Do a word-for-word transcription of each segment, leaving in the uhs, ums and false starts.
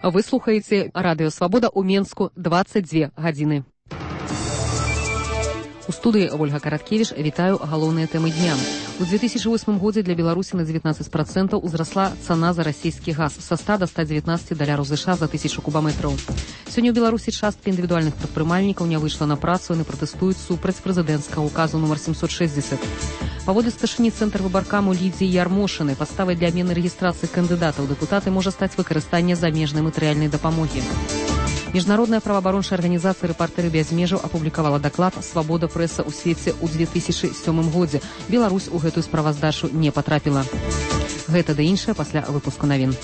Вы слухаеце радыё Свабода ў Менску дваццаць дзве гадзіны. У студыі Ольга Караткевіч, вітаю галоўныя тэмы дня. У две тысячи восьмым годзе для Беларусі на дзевятнаццаць процентаў узрасла цана за расійскі газ са ста до ста дзевятнаццаці даляраў США за тысячу кубаметраў. Сёння ў Беларусі частка індывідуальных прадпрымальнікаў не выйшла на працу, яны пратэстуюць супраць прэзідэнцкага указу нумар семьсот шестьдесят. Паводле старшыні цэнтр выбаркаму Лідзіі Ярмошынай, падставай для абмены рэгістрацыі кандыдатаў дэпутаты можа стаць выкарыстанне замежнай матэрыяльнай дапамогі. Міжнародная праваабарончая арганізацыя «Рэпартэры без межаў» апублікавала даклад «Свабода прэса ў свеце» ў две тысячи сёмым годзе. Беларусь у гэтую справаздачу не патрапіла. Гэта да іншае пасля выпуску навін.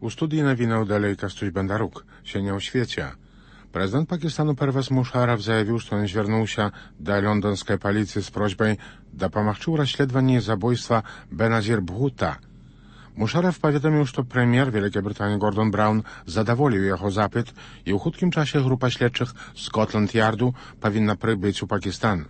У студыі навінаў далей Кастусь Бандарук. Сёння ў свеце. Прэзідэнт Пакістану Первез Мушарраф заявіў, што ён звярнуўся да лондонскай паліцыі з просьбай дапамагчы ў расследаванні забойства Беназір Бхута. Мушарраф паведаміў, што прэм'ер Вялікай Брытаніі Гордон Браўн задаволіў яго запыт, і ў хуткім часе група следчых Скотланд-Ярду павінна прыбыць у Пакістан.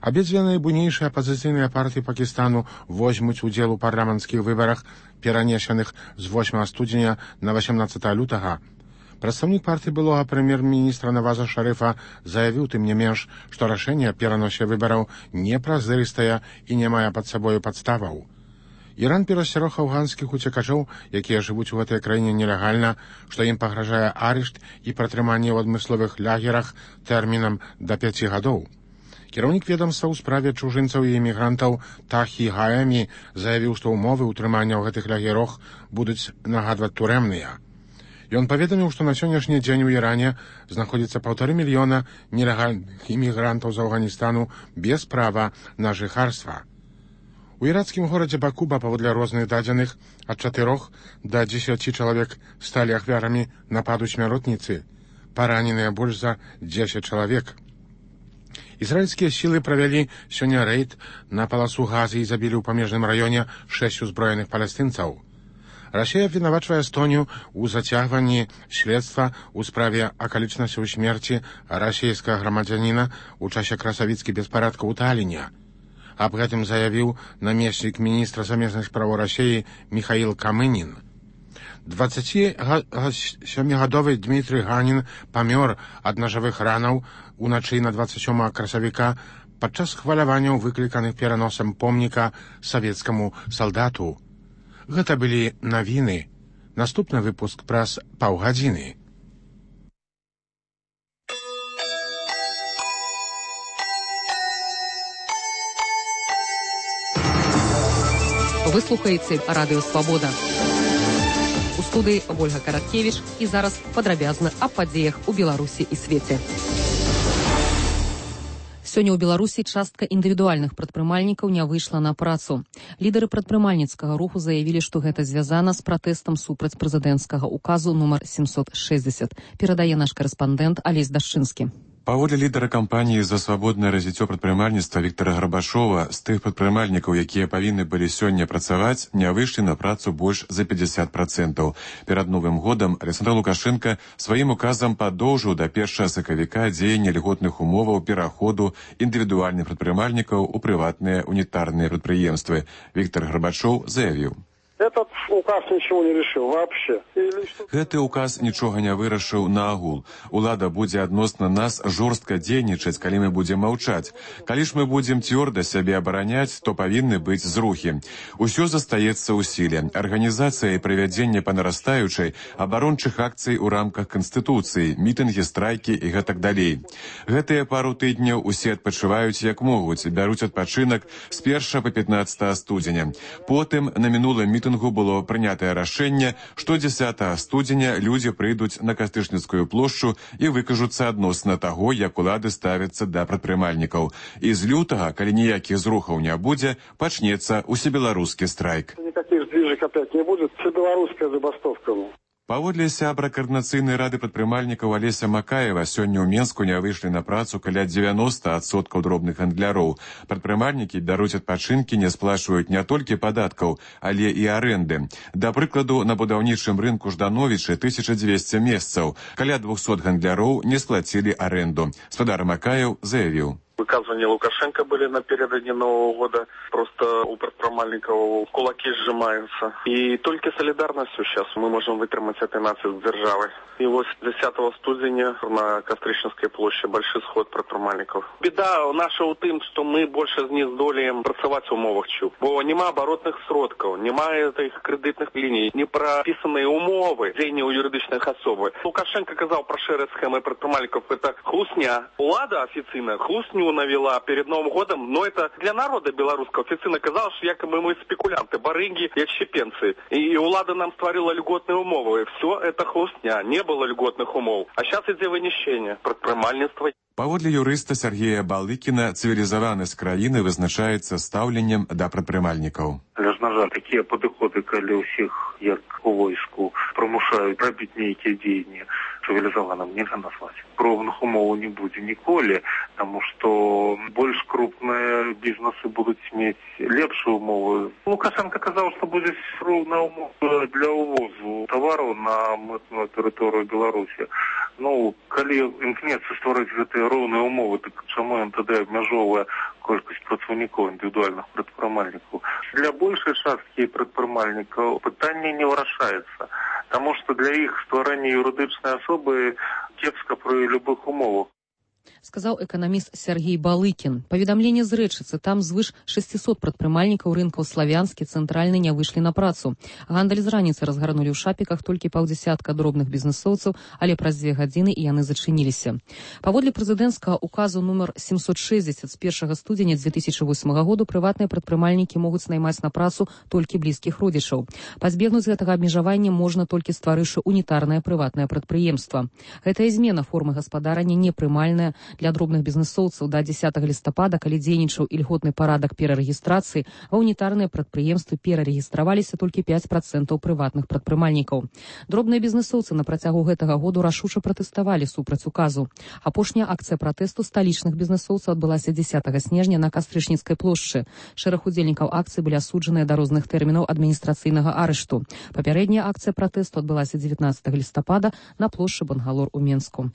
Абедзве найбуйнейшыя апазіцыйныя партыі Пакістану возьмуць удзел у парламенцкіх выбарах, перанесеных з восьмага студзеня на васямнаццатага лютага. Прадстаўнік партыі былога прэм'ер-міністра Наваза Шарыфа заявіў, тым не менш, што рашэнне аб пераносе выбараў непразрыстае і не мае пад сабою падставаў. Іран перасцярог афганскіх уцекачоў, якія жывуць у гэтай краіне нелегальна, што ім пагражае арышт і пратрыманне ў адмысловых лагерах тэрмінам да пяці гадоў. Кіраўнік ведамства ў справе чужынцаў і эмігрантаў Тахі Гаэмі заявіў, што ўмовы ўтрымання ў гэтых лагерах будуць нагадваць турэмныя. Ён паведаміў, што на сённяшні дзень у Іране знаходзіцца паўтары мільёна нелегальных імігрантаў з Афганістану без права на жыхарства. У іракскім горадзе Бакуба, паводле розных дадзеных, ад чатырох да дзесяці чалавек сталі ахвярамі нападу смяротніцы. Параненыя больш за дзесяць чалавек. Ізраільскія сілы правялі сёння рэйд на паласу Газы і забілі ў памежным раёне шэсць узброеных палестынцаў. Расія абвінавачвае Эстонію ў зацягванні следства ў справе акалічнасцяў смерці расійскага грамадзяніна ў часе красавіцкіх беспарадкаў у Таліне. Аб гэтым заявіў намеснік міністра замежных справаў Расіі Міхаіл Камынін. дваццацісямігадовы Дмітрый Ганін памёр ад нажавых ранаў уначы на дваццаць сёмага красавіка падчас хваляванняў, выкліканых пераносам помніка савецкаму салдату. Гэта былі навіны. Наступны выпуск праз паўгадзіны. Вы слухаеце радыё Свабода. У студыі Ольга Караткевіч, і зараз падрабязна аб падзеях у Беларусі і свеце. Сёння ў Беларусі частка індывідуальных прадпрымальнікаў не выйшла на працу. Лідары прадпрымальніцкага руху заявілі, што гэта звязана з пратэстам супраць прэзідэнцкага указу нумар семьсот шестьдесят. Перадае наш карэспандэнт Алесь Дашчынскі. Паводле лідара кампаніі за свабоднае развіццё прадпрымальніцтва Віктара Гарбашова, з тых прадпрымальнікаў, якія павінны былі сёння працаваць, не выйшлі на працу больш за пятьдесят процентаў. Перад Новым годам Александр Лукашенко сваім указам падоўжыў да першага сакавіка дзеянне льготных умоваў пераходу індывідуальных прадпрымальнікаў у прыватныя унітарныя прадпрыемствы. Віктар Гарбашоў заявіў: Этот указ ничего не решил вообще. Гэты указ нічога не вырашыў наогул. Улада будзе адносна нас жорстка дзейнічаць, калі мы будзем маўчаць. Калі ж мы будзем цвёрда сябе абараняць, то павінны быць зрухі. Усё застаецца ў сіле. Арганізацыя і правядзенне па нарастаючай абарончых акцый у рамках Канстытуцыі, мітынгі, страйкі і гэтак далей. Гэтыя пару тыдняў усе адпачываюць як могуць, бяруць адпачынак з першага па пятнаццатае студзеня. Потым на мінулым мітынгу было прынятае рашэнне, што дзесятага студзеня людзі прыйдуць на Кастычніцкую плошчу і выкажуцца адносна таго, як улады ставяцца да прадпрымальнікаў. І з лютага, калі ніякіх зрухаў не будзе, пачнецца усебеларускі страйк. Никаких сдвижек опять не будет. Всебелорусская забастовка. Паводле сябра Каардынацыйнай рады прадпрымальнікаў Алеся Макаева, сёння ў Менску не выйшлі на працу каля дзевяноста адсоткаў дробных гандляроў. Прадпрымальнікі бяруць адпачынкі, не сплачваюць не толькі падаткаў, але і арэнды. Да прыкладу, на будаўнічым рынку Ждановічы тысяча дзвесце месцаў. Каля двухсот гандляроў не сплацілі арэнду. Спадар Макаев заявіў: Выказывания Лукашенко были напередодни Нового года. Просто у предпринимальников кулаки сжимаются. И только солидарностью сейчас мы можем вытримать этой нации с державой. И вот десятого студеня на Костричинской площади большой сход предпринимальников. Беда наша у тим, що ми більше не здоліємо працювати в умовах ЧУП. Бо нема оборотних сродків, немає тих кредитних ліній, не прописані умови діяння у юридичних особ. Лукашенко казав про шире схеми предпринимальників, це хлусня. Влада офіційна хлусню навела перед Новым годом, но это для народа белорусского. Официально казалось, что якобы мы спекулянты, барыги и отщепенцы. И влада нам створила льготные умовы. Все это хлустня, не было льготных умов. А сейчас идет вынищение, предпринимальство. Паводле юрыста Сергея Балыкіна, цывілізаванасць краіны вызначаецца стаўленнем да прадпрымальнікаў. Але ж, на жаль, такія падыходы, калі ўсіх, як у войску, прымушаюць рабіць нейкія дзеянні, цывілізаваным нельга назваць. Роўных умоў не будзе ніколі, таму што больш крупныя бізнесы будуць мець лепшыя умовы. Лукашенко казаў, што будзе роўная умова для ўвозу тавараў на мытную тэрыторыю Беларусі. Ну, калі імкнецца стварыць гэтыя роўныя умовы, так чаму ён тады абмяжоўвае колькасць працаўнікоў індывідуальных прадпрымальнікаў? Для большай часткі прадпрымальнікаў пытанне не вырашаецца, таму што для іх стварэння юрыдычнай асобы кепска пры любых умовах. Сказаў эканаміст Сергей Балыкін. Паведамленне з рэчыцы, там звыш шестьсот прадпрымальнікаў рынкаў Славянскі, Цэнтральны не выйшлі на працу. Гандаль з раніцы разгарнулі ў шапіках толькі паўдзясятка дробных бізнесоўцаў, але праз дзве гадзіны і яны зачыніліся. Паводле прэзідэнцкага указу нумар семьсот шестьдесят з першага студзеня две тысячи восьмага году прыватныя прадпрымальнікі могуць наймаць на працу толькі блізкіх родзічаў. Пазбегнуць гэтага абмежавання можна толькі стварыўшы унітарнае прыватнае прадпрыемства. Гэтая змена формы гаспадарання непрымальная для дробных бізнесоўцаў да дзесятага лістапада, калі дзейнічаў ільготны парадак перарэгістрацыі, а унітарныя прадпрыемствы перарэгістраваліся толькі пяць працэнтаў прыватных прадпрымальнікаў. Дробныя бізнесоўцы на працягу гэтага году рашуча пратэставалі супраць указу. Апошняя акцыя пратэсту сталічных бізнесоўцаў адбылася дзесятага снежня на Кастрычніцкай плошчы. Шэраг удзельнікаў акцыі былі асуджаныя да розных тэрмінаў адміністрацыйнага арышту. Папярэдняя акцыя пратэсту адбылася дзевятнаццатага лістапада на плошчы Бангалор у Менску.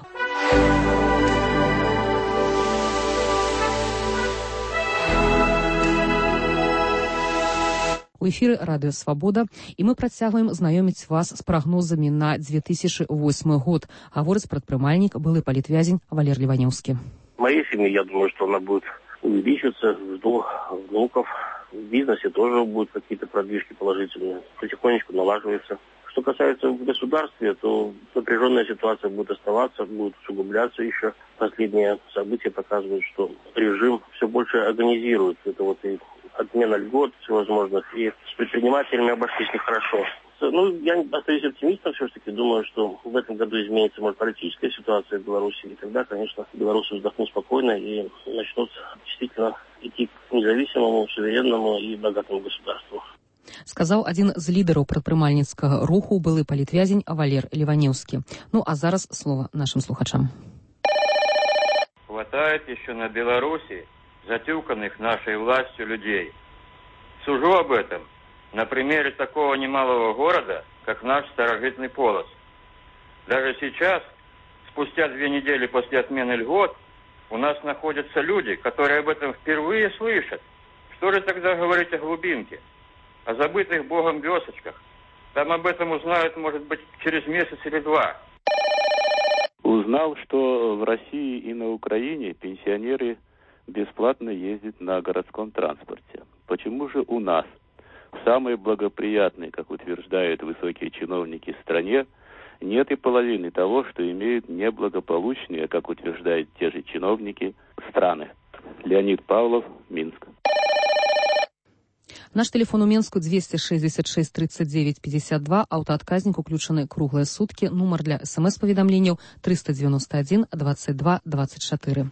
У эфіры радыё «Свабода», і мы працягваем знаёміць вас з прагнозамі на две тысячи восьмы год. Гаворыць прадпрымальнік, былы палітвязень Валер Ливаневский. В моей семье, я думаю, что она будет увеличиваться, жду внуков. В бизнесе тоже будут какие-то продвижки положительные. Потихонечку налаживается. Что касается в государстве, то напряженная ситуация будет оставаться, будет усугубляться еще. Последние события показывают, что режим все больше организирует. Это вот и отмена льгот всевозможных, и с предпринимателями обошлись нехорошо. Ну, я остаюсь оптимистом все-таки. Думаю, что в этом году изменится, может, политическая ситуация в Беларуси. И тогда, конечно, белорусы вздохнут спокойно и начнут действительно идти к независимому, суверенному и богатому государству. Сказаў адзін з лідараў прадпрымальніцкага руху, былы палітвязень Валер Ливаневский. Ну, а зараз слово нашим слухачам. Хватает еще на Беларуси затюканных нашей властью людей. Сужу об этом на примере такого немалого города, как наш Старожитный Полоцк. Даже сейчас, спустя две недели после отмены льгот, у нас находятся люди, которые об этом впервые слышат. Что же тогда говорить о глубинке, о забытых Богом вёсочках? Там об этом узнают, может быть, через месяц или два. Узнал, что в России и на Украине пенсионеры бесплатно ездят на городском транспорте. Почему же у нас, в самой благоприятной, как утверждают высокие чиновники, стране, нет и половины того, что имеют неблагополучные, как утверждают те же чиновники, страны? Леонид Павлов, Минск. Наш телефон у Менску двести шестьдесят шесть тридцать девять пятьдесят два, аўтаадказнік уключаны круглыя суткі, нумар для смс-паведамленняў триста девяносто один двадцать два двадцать четыре.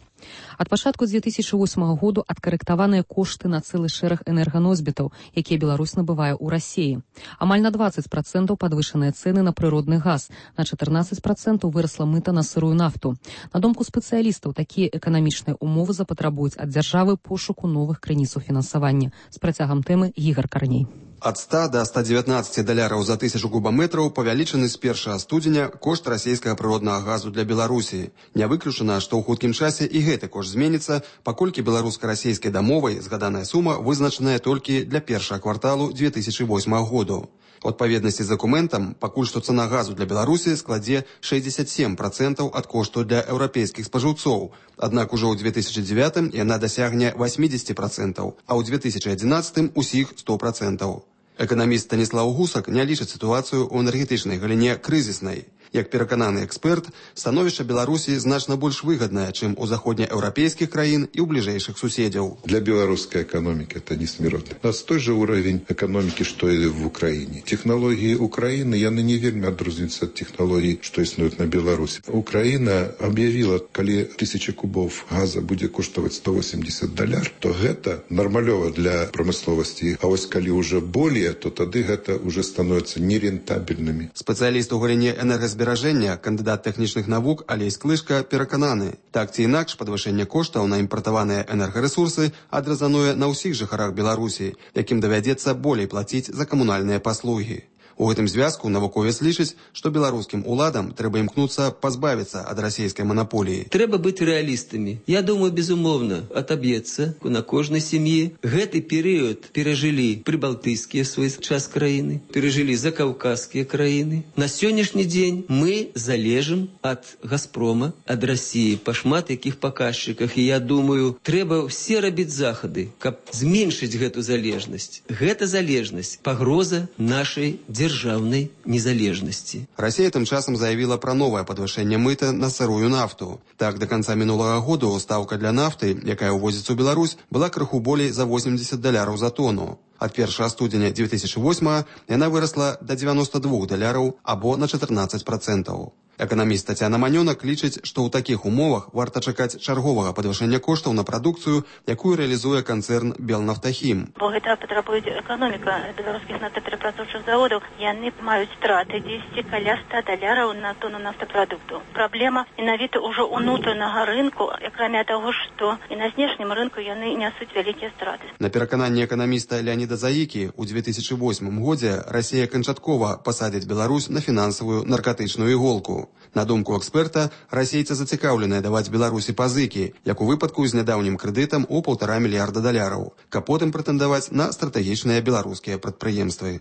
Ад пачатку две тысячи восьмага году адкарэктаваныя кошты на цэлы шэраг энерганосьбітаў, якія Беларусь набывае ў Расіі. Амаль на двадцать процентаў падвышаныя цэны на прыродны газ, на чатырнаццаць процентаў вырасла мыта на сырую нафту. На думку спецыялістаў, такія эканамічныя умовы запатрабуюць ад дзяржавы пошуку новых крыніцаў фінансавання. З працягам тэмы Ігор Карней. Ад ста да ста дзевятнаццаці даляраў за тысячу кубаметраў павялічаны з першага студзеня кошт расійскага прыроднага газу для Беларусі. Не выключана, што ў хуткім часе і гэты кошт зменіцца, паколькі беларуска-расійскай дамовай згаданая сума вызначаная толькі для першага кварталу дзве тысячы восьмага году. У адпаведнасці з дакументам, пакуль што цана газу для Беларусі складзе шэсцьдзесят сем працэнтаў ад кошту для еўрапейскіх спажыўцоў. Аднак ужо ў дзве тысячы дзевятым яна дасягне восемьдесят працэнтаў, а ў дзве тысячы адзінаццатым усіх сто працэнтаў. Эканаміст Станіслаў Гусак не лічыць сітуацыю ў энергетычнай галіне крызіснай. Як перакананы эксперт, становішча Беларусі значна больш выгаднае, чым у заходнееўрапейскіх краін і ў бліжэйшых суседзяў. Для белорусской экономики это несмиротно. У нас той же уровень экономики, что и в Украине. Технологии Украины, яны не вельмі адрозніваюцца ад технологий, что існуюць на Беларуси. Украина объявила, калі тысяча кубов газа будет коштовать сто восемьдесят доляр, то гэта нормалёва для промысловости. А вось калі уже более, то тады гэта уже становится нерентабельными. Специалист у галіне энергазбережання Зберажэння, кандыдат тэхнічных навук Алесь Клышка перакананы. Так ці інакш падвышэнне коштаў на імпартаваныя энергарэсурсы адразануе на ўсіх жыхарах Беларусі, якім давядзецца болей плаціць за камунальныя паслугі. У гэтым звязку навуковец лічыць, што беларускім уладам трэба імкнуцца пазбавіцца ад расійскай манаполіі. Трэба быць рэалістамі. Я думаю, безумоўна, атаб'ецца на кожнай сям'і. Гэты перыяд перажылі прыбалтыйскія свой час краіны, перажылі закаўказскія краіны. На сённяшні дзень мы залежым ад Газпрома, ад Расіі па шмат якіх паказчыках. І я думаю, трэба ўсе рабіць захады, каб зменшыць гэту залежнасць. Гэта залежнасць пагроза нашай дзяржавы. Державной незалежности. Россия тым часам заявила про новое подвышение мыта на сырую нафту. Так, до конца минулого года ставка для нафты, якая увозится в Беларусь, была крыху болей за восемьдесят доляраў за тонну. От першага студзеня дзве тысячы восьмага яна выросла до девяноста двух доляраў або на чатырнаццаць працэнтаў. Эканаміст Тацяна Манёнак лічыць, што ў такіх умовах варта чакаць чарговага падвышэння коштаў на прадукцыю, якую рэалізуе канцэрн Белнафтахім. Бо гэта патрабуе эканоміка беларускіх нафтаперапрацоўчых заводаў. Яны маюць страты дзесьці каля ста даляраў на тону нафтапрадукту. Праблема менавіта ўжо ўнутранага рынку, акрамя таго, што і на знешнім рынку яны нясуць вялікія страты. На перакананне эканаміста Леаніда Заікі, у дзве тысячы восьмым годзе Расія канчаткова пасадзіць Беларусь на фінансавую наркатычную іголку. На думку эксперта, расейцы зацікаўленыя даваць Беларусі пазыкі, як у выпадку з нядаўнім крэдытам у паўтара мільярда даляраў, каб потым прэтэндаваць на стратэгічныя беларускія прадпрыемствы.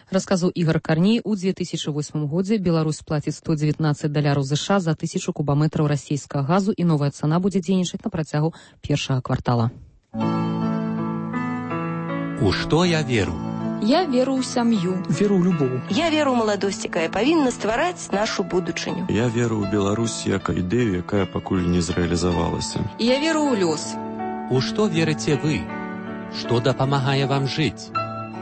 Расказаў Ігор Карней, у дзве тысячы восьмым годзе Беларусь плаціць сто дзевятнаццаць даляраў ЗША за тысячу кубаметраў расійскага газу, і новая цана будзе дзейнічаць на працягу першага квартала. У што я веру? Я веру ў сям'ю. Веру ў любоў. Я веру ў маладосць, якая павінна ствараць нашу будучыню. Я веру ў Беларусь як ідэю, якая пакуль не зрэалізавалася. Я веру ў лёс. У што верыце вы? Што дапамагае вам жыць?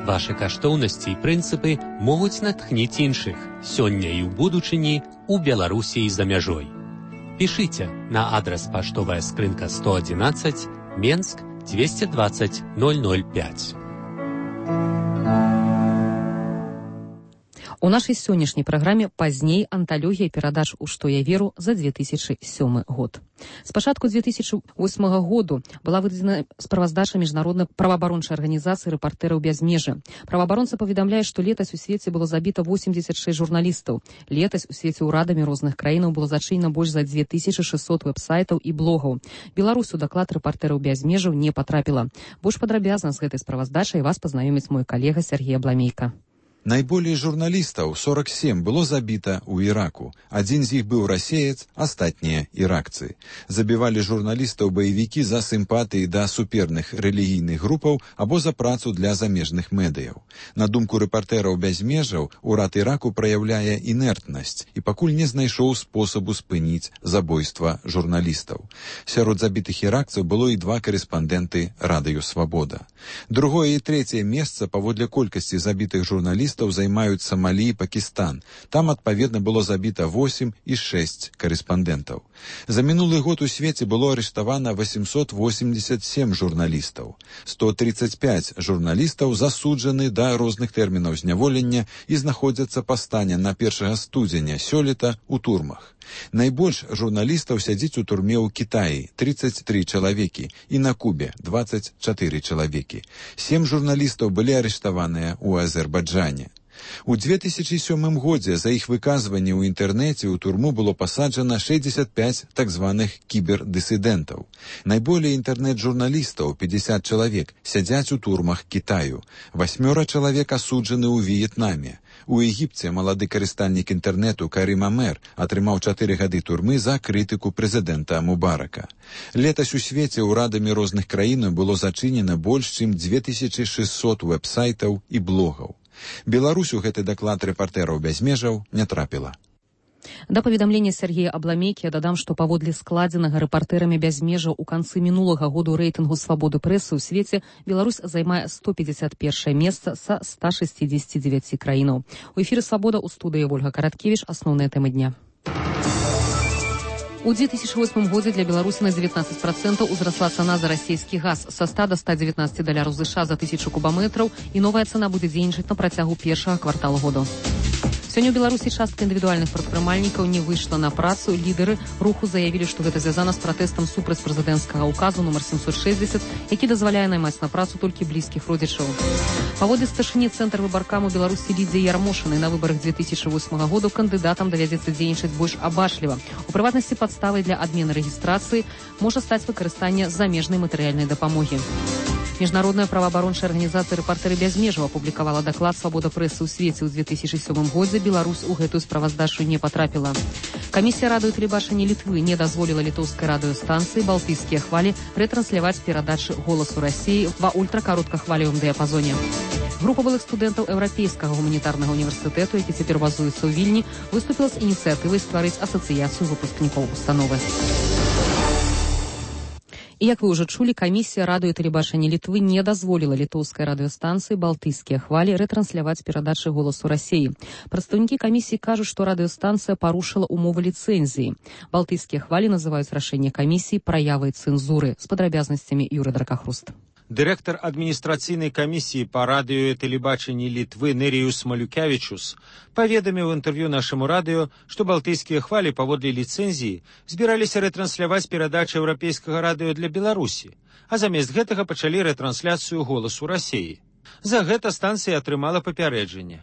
Вашы каштоўнасці і прынцыпы могуць натхніць іншых сёння і ў будучыні, у Беларусі і за мяжой. Пішыце на адрас паштовая скрынка сто адзінаццаць, Менск, двести двадцать ноль ноль пять. У нашай сённяшняй праграме пазней анталогія перадач «У што я веру» за дзве тысячы сёмы год. З пачатку дзве тысячы восьмага году была выдадзена справаздача міжнароднай праваабарончай арганізацыі рэпартэраў без межы. Праваабаронца паведамляе, што летась у свеце было забіта восемьдесят шесть журналістаў. Летась у свеце ўрадамі розных краінаў было зачынена больш за дзве тысячы шэсцьсот вэб-сайтаў і блогаў. Беларусь у даклад рэпартэраў без межаў не патрапіла. Больш падрабязна з гэтай справаздачай вас пазнаёміць мой калега Сергей Абламейка. Найболей журналістаў, сорок семь, было забіта ў Іраку. Адзін з іх быў расеец, астатнія іракцы. Забівалі журналістаў баевікі за сімпатыі да суперных рэлігійных групаў або за працу для замежных медыяў. На думку рэпартэраў без межаў, урад Іраку праяўляе інертнасць і пакуль не знайшоў спосабу спыніць забойства журналістаў. Сярод забітых іракцаў было і два карэспандэнты Радыё Свабода. Другое і трэцяе месца паводле колькасці забітых журналістаў займаюць Сомалі і Пакістан. Там, адпаведна, было забіта восемь і шэсць карэспандэнтаў. За мінулы год у свеце было арыштавана восемьсот восемьдесят семь журналістаў. сто тридцать пять журналістаў засуджаны да розных тэрмінаў зняволення і знаходзяцца па стане на першага студзеня сёлета ў турмах. Найбольш журналістаў сядзіць у турме ў Кітаі – тридцать три чалавекі і на Кубе – двадцать четыре чалавекі. Сем журналістаў былі арыштаваныя ў Азербайджане. У две тысячи сёмым годзе за іх выказванне ў інтэрнэце ў турму было пасаджана шестьдесят пять так званых кібердысідэнтаў. Найболей інтэрнэт-журналістаў, пятьдесят чалавек, сядзяць у турмах Кітаю. Васьмёра чалавек асуджаны ў В'етнаме. У Егіпце малады карыстальнік інтэрнэту Карим Амер атрымаў чатыры гады турмы за крытыку прэзідэнта Мубарака. Летась у свеце ўрадамі розных краін было зачынена больш чым две тысячи шестьсот вэб-сайтаў і блогаў. Беларусь у гэты даклад рэпартэраў без межаў не трапіла. Да паведамлення Сергея Абламейкі я дадам, што паводле складзенага рэпартэрамі без межаў у канцы мінулага году рэйтынгу свабоды прэсы ў свеце Беларусь займае сто пятьдесят первое месца са ста шестидесяти девяти краінаў. У эфіры «Свабода» у студыі Ольга Караткевіч. Асноўныя тэмы дня. У две тысячи восьмым годзе для Беларусі на девятнадцать процентов узрасла цана за расійскі газ са ста до ста девятнадцати даляраў США за тысячу кубаметраў, і новая цана будзе дзейнічаць на працягу першага кварталу году. Сёння ў Беларусі частка індывідуальных прадпрымальнікаў не выйшла на працу. Лідары руху заявілі, што гэта звязана з пратэстам супраць прэзідэнцкага ўказу нумар семьсот шестьдесят, які дазваляе наймаць на працу толькі блізкіх родзічаў. Паводле старшыні цэнтр выбаркаму Беларусі Лідзіі Ярмошынай на выбарах две тысячи восьмага году кандыдатам давядзецца дзейнічаць больш абачліва. У прыватнасці падставай для адмены рэгістрацыі можа стаць выкарыстанне замежнай матэрыяльнай дапамогі. Міжнародная праваабарончая арганізацыя «Рэпартэры без межаў» апублікавала даклад «Свабода прэсы ў свеце» ў две тысячи сёмым годзе. Беларусь у гэтую справаздачу не патрапіла. Камісія радыё і тэлебачання Літвы не дазволіла літоўскай радыёстанцыі «Балтыйскія хвалі» ретрансляваць перадачы «Голасу России» ва ультракароткахвалевым дыяпазоне. Група былых студэнтаў Еўрапейскага гуманітарнага універсітэту, які цяпер базуецца ў Вільні, выступіла з ініцыятывай стварыць асацыяцыю выпускнікоў установы. І, як вы ўжо чулі, камісія радыё і тэлебачання Літвы не дазволіла літоўскай радыёстанцыі «Балтыйскія хвалі» ретрансляваць перадачы «Голасу России». Прадстаўнікі камісіі кажуць, што радыёстанцыя парушыла умовы ліцэнзіі. «Балтыйскія хвалі» называюць рашэнне камісіі праявай цэнзуры. З падрабязнасцямі Юры Дракахруст. Дырэктар адміністрацыйнай камісіі па радыё і тэлебачанні Літвы Неріюс Малюкявічус паведаміў у інтэрв'ю нашаму радыё, што балтыйскія хвалі паводле ліцэнзіі збіраліся рэтранссляваць перадачы еўрапейскага радыё для Беларусі, а замест гэтага пачалі рэтрансляцыю «Голасу России». За гэта станцыя атрымала папярэджанне.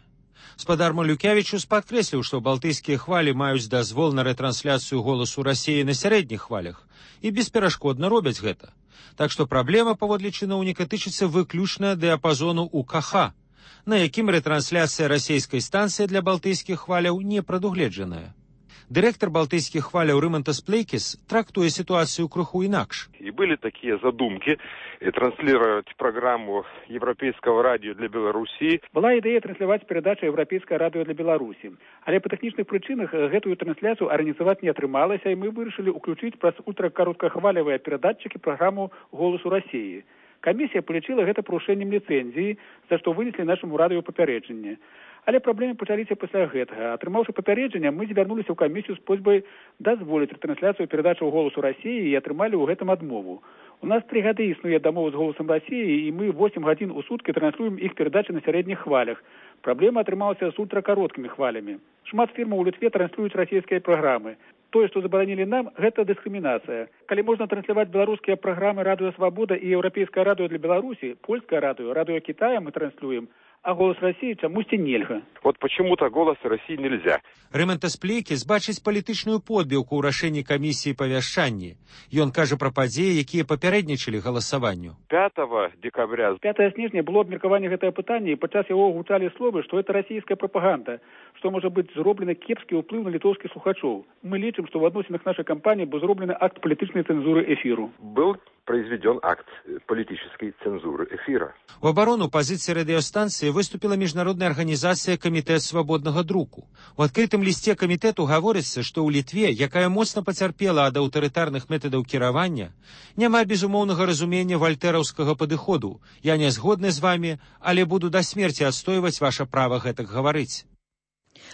Спадар Малюкявічус падкрэсліў, што балтыйскія хвалі маюць дазвол на рэтрансляцыю «Голасу России» на сярэдніх хвалях і бесперашкодна робяць гэта. Так што праблема паводле чыноўніка тычыцца выключна дыяпазону У К Х, на якім рэтрансляцыя расійскай станцыі для балтыйскіх хваляў не прадугледжаная. Дырэктар балтыйскіх хваляў Рымантас Плейкіс трактуе ситуацию крыху инакше. И были такие задумки транслировать программу Европейского радио для Беларуси. Была идея транслировать передачу Европейское радио для Беларуси. Але по технічных причинах эту трансляцию организовать не атрымалася, и мы вырашили уключить праз ультракароткахвалевые передатчики программу «Голосу России». Комиссия полічила гэта парушэннем ліцэнзіі, за што вынеслі нашаму радыё папярэджанне. Але праблемы пачаліся пасля гэтага. Атрымаўшы папярэджанне, мы звярнуліся ў камісію з просьбай дазволіць рэтрансляцыю перадачаў «Голосу России» і атрымалі ў гэтым адмову. У нас три гады існуе дамова з «Голосом России», і мы восемь гадзін у суткі транслюем іх перадачы на сярэдніх хвалях. Праблема атрымалася з ультракароткімі хвалямі. Шмат фірмаў у Літве транслююць расійскія праграмы. Тое, што забаранілі нам, гэта дыскрымінацыя. Калі можна трансляваць беларускія праграмы «Радыё Свабода» і «Еўрапейскае радыё для Беларусі», «Польскае радыё», «Радыё Китая» мы транслюем, а «Голос России» чамусьці нельга. Вот почему-то «Голос России» нельзя. Рымантас Плейкіс бачыць палітычную подбіўку ў рашэнні камісіі па вяшчанні. Ён кажа пра падзеі, якія папярэднічалі галасаванню. пятого декабря. пятого снежня было абмеркаванне гэтае пытанне, і падчас яго гучалі словы, што это расійская прапаганда, што можа быць зроблены кепскі ўплыў на літоўскіх слухачоў. Мы лічым, што ў адносінах нашай кампаніі быў зроблены акт палітычнай цэнзуры эфіру. Был произведен акт политической цензуры эфира. В оборону позиции радиостанции выступила международная организация Комитет свободного друку. В открытом листе комитету говорится, что у Литве, якая моцна поцярпела ад аўтарытарных методаў кіравання, няма безумоўнага разумення вальтэраўскага падыходу. Я не згодны з вами, але буду до смерти отстойваць ваше право гэтак говорить.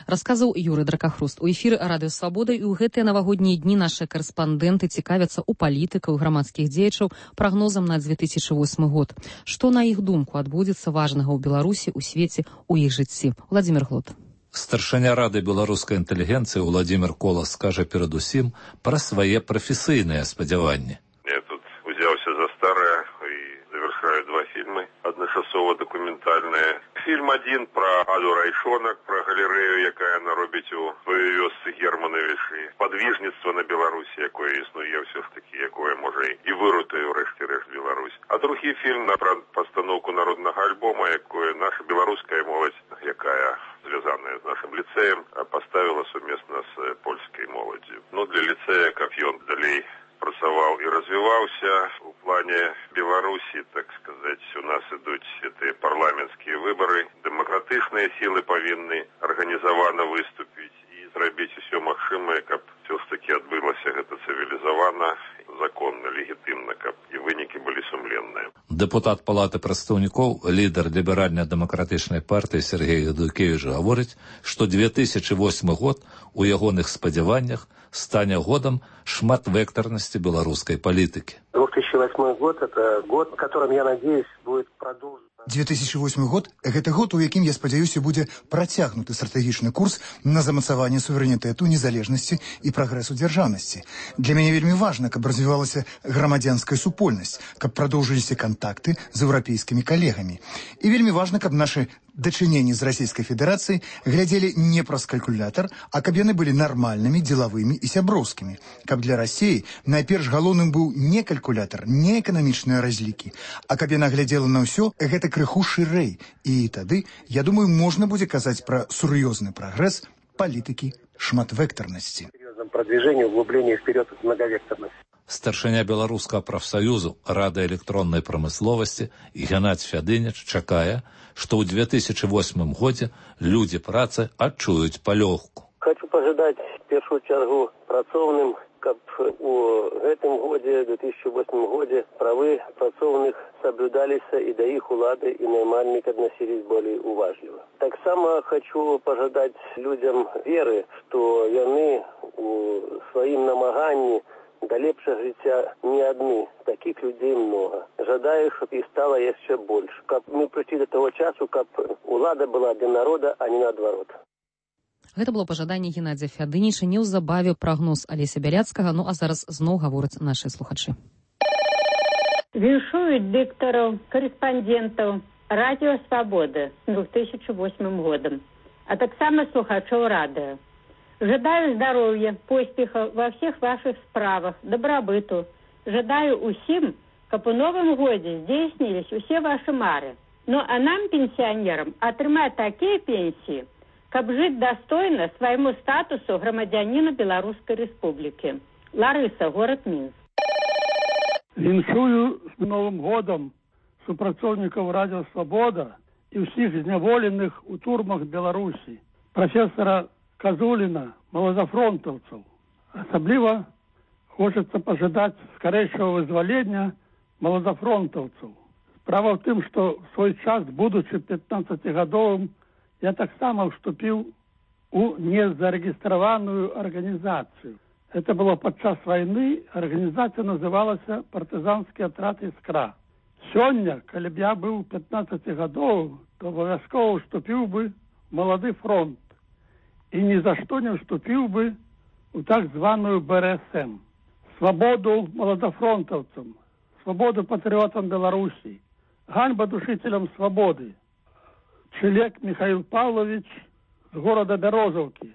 Расказаў Юрый Дракахруст. У эфіры Радыё Свабода і ў гэтыя навагоднія дні нашы карэспандэнты цікавяцца ў палітыкаў і грамадскіх дзеячаў прагнозам на две тысячи восьмы год. Што, на іх думку, адбудзецца важнага ў Беларусі, у свеце, у іх жыцці? Владимир Глот. Старшыня Рады беларускай інтэлігенцыі Владимир Колас скажа перадусім пра свае прафесійныя спадзяванні. Я тут узяўся за старое і завершаю два фильмы, адначасова-дакументальныя. Фильм один про Аду Райшонак, про галерею, якая она робіць у вёсцы Германовичы. Подвижництво на Беларусі, якое існуе все ж таки, якое може і вирутує врешті-решт Беларусь. А другий фільм про постановку народного альбома, якое наша белорусская молодь, якая звязанная з нашим ліцеєм, поставила сумесно з польською молоддю. Ну, для ліцея, як ён далей працаваў і развіваўся у плане Беларусі, так сказать, у нас ідуць гэтыя парламенцкія выбары, дэмакратычныя сілы павінны арганізавана выступіць і зрабіць усё магчымае, каб все ж таки адбылася гэта цывілізавана, законна, легітымна, каб і вынікі былі сумленныя. Дэпутат Палаты прадстаўнікоў, лідар ліберальна-дэмакратычнай партыі Сергей Ядукевіч гаворыць, што две тысячи восьмы год у ягоных спадзяваннях стане годом шматвекторности белорусской политики. две тысячи восьмой год – это год, в котором, я надеюсь, будет продолжен. две тысячи восьмы год – гэта год, у якім, я спадзяюся, будзе працягнуты стратэгічны курс на замацаванне суверэнітэту, незалежнасці і прагрэсу дзяржаўнасці. Для мяне вельмі важна, каб развівалася грамадзянская супольнасць, каб прадоўжыліся кантакты з еўрапейскімі калегамі. І вельмі важна, каб нашы дачыненні з Расійскай Федэрацыяй глядзелі не праз калькулятар, а каб яны былі нармальнымі, дзелавымі і сяброўскімі. Каб для Расіі найперш галоўным быў не калькулятар, не эканамічныя разлікі, а каб яна глядзела на ўсё гэта крыху шырэй. І тады, я думаю, можна будзе казаць пра сур'ёзны прагрэс палітыкі шматвектарнасці. Серьезном продвижении, углублении вперед от многовекторности. Старшыня беларускага прафсаюзу Рады электроннай прамысловасці Геннадзь Фядыніч чакае, што ў две тысячи восьмым годзе людзі працы адчуюць палёгку. Хочу пожадаць в першую чаргу працоўным, каб у гэтым годзе, две тысячи восьмым годзе, правы працоўных соблюдаліся і да іх улады і наймальнікі адносились более уважліва. Таксама хочу пожадаць людзям веры, што яны у сваім намаганні да лепшага жыцця не адны, таких людзей много. Жадаю, щоб іх стало яшчэ больш. Каб мы прыйшлі до того часу, каб улада была для народа, а не наадварот. Гэта было пажаданне Геннадзя Фядыніча, неўзабаве прагноз Алеся Бяляцкага, ну а зараз зноў гавораць нашы слухачы. Віншуюць дыктараў, корэспандэнтаў Радіо Свабода з две тысячи восьмым годам, а таксама слухачоў радыё. Жадаю здоровья, поспеха во всех ваших справах, добробыту. Жадаю усім, каб у новым годзе здзейснілись усе ваши мары. Ну а нам, пенсионерам, атрымаць такія пенсии, каб жыць достойно свайму статусу грамадзяніна Беларускай Рэспублікі. Ларыса, город Мінск. Віншую з Новым годам супрацоўнікаў Радіо Свабода і ўсіх зняволеных у турмах Беларусі, професора Казуліна, малазафронтаўцаў. Асабліва хочацца пажадаць скарэйшага вызвалення малазафронтаўцаў. Справа ў тым, што в свой час, будучы пятнаццацігадовым, я таксама вступіў у незарэгістраваную арганізацыю. Это было падчас вайны, арганізацыя называлася партызанскі атрад «Іскра». Сёння, калі б я быў пятнаццацігадовым, то абавязкова вступіў бы малады фронт. І ні за што не вступіў бы у так званую Бэ Эр Эс Эм. Свабоду маладафронтаўцам, свабоду патрыётам Беларусі, ганьба душителям свабоды. Чылек Михаил Павлович з горада Бярозаўкі.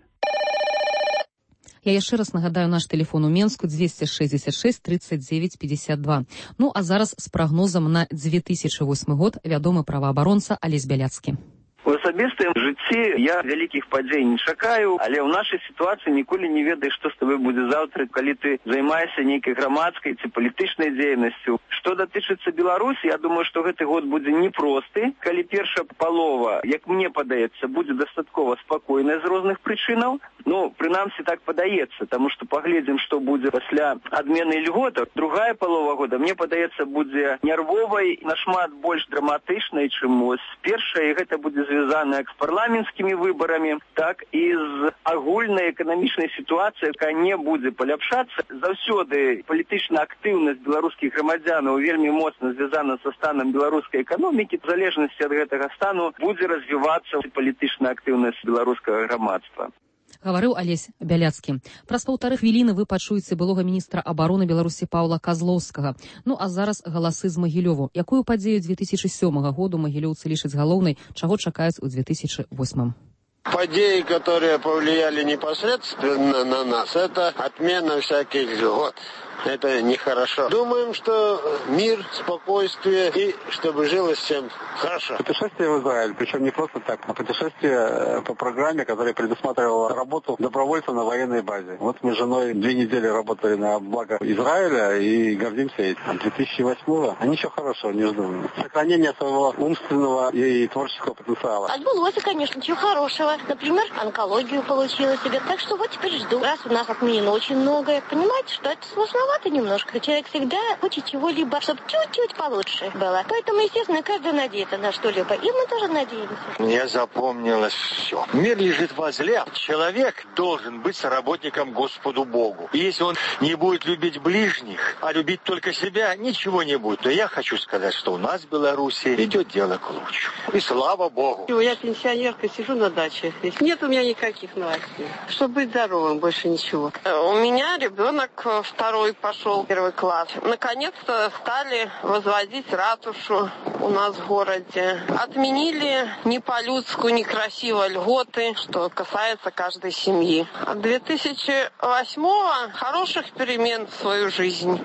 Я яшчэ раз нагадаю наш тэлефон у Менску двести шестьдесят шесть тридцать девять пятьдесят два. Ну а зараз з прагнозам на две тысячи восьмы год вядомы праваабаронца Алесь Бяляцкі. У асабістым жыцці я вялікіх падзей не чакаю, але ў нашай сітуацыі ніколі не ведаеш, што з табой будзе заўтра, калі ты займаешся нейкай грамадскай ці палітычнай дзейнасцю. Што датычыцца Беларусі, я думаю, што гэты год будзе непросты, калі першая палова, як мне падаецца, будзе дастаткова спакойная з розных прычынаў. Ну, прынамсі так падаецца, таму што паглядзім, што будзе пасля адмены льготаў. Другая палова года, мне падаецца, будзе нервовай, нашмат больш драматычнай, чым ось першая, і гэта будзе звязана звязана як з парламенцкімі выбарамі, так і з агульнай эканамічнай сітуацыяй, якая не будзе паляпшацца. Заўсёды палітычная актыўнасць беларускіх грамадзянаў вельмі моцна звязана са станам беларускай эканомікі. В залежнасці ад гэтага стану будзе развівацца палітычная актыўнасць беларускага грамадства. Гаварыў Алесь Бяляцкі. Праз паўтары хвіліны вы пачуеце былога міністра абароны Беларусі Паўла Казлоўскага. Ну а зараз галасы з Магілёву. Якую падзею две тысячи сёмага году магілёўцы лічаць галоўнай, чаго чакаюць у две тысячи восьмым? Подеи, которые повлияли непосредственно на нас, это отмена всяких льгот. Это нехорошо. Думаем, что мир, спокойствие и чтобы жилось всем хорошо. Путешествие в Израиль, причем не просто так, а путешествие по программе, которая предусматривала работу добровольца на военной базе. Вот мы с женой две недели работали на благо Израиля и гордимся этим. две тысячи восьмого ничего хорошего не жду. Сохранение своего умственного и творческого потенциала. Отбылось, конечно, ничего хорошего. Например, онкологию получила себе. Так что вот теперь жду. Раз у нас отменено очень многое, понимаете, что это сложновато немножко. Человек всегда хочет чего-либо, чтобы чуть-чуть получше было. Поэтому, естественно, каждый надеется на что-либо. И мы тоже надеемся. Мне запомнилось все. Мир лежит возле. Человек должен быть соработником Господу Богу. И если он не будет любить ближних, а любить только себя, ничего не будет. Но я хочу сказать, что у нас в Беларуси идет дело к лучшему. И слава Богу. Я пенсионерка, сижу на даче. Нет у меня никаких новостей. Чтобы быть здоровым, больше ничего. У меня ребенок второй пошел первый класс. Наконец-то стали возводить ратушу у нас в городе. Отменили не по-людски, некрасиво льготы, что касается каждой семьи. А две тысячи восьмого хороших перемен в свою жизнь.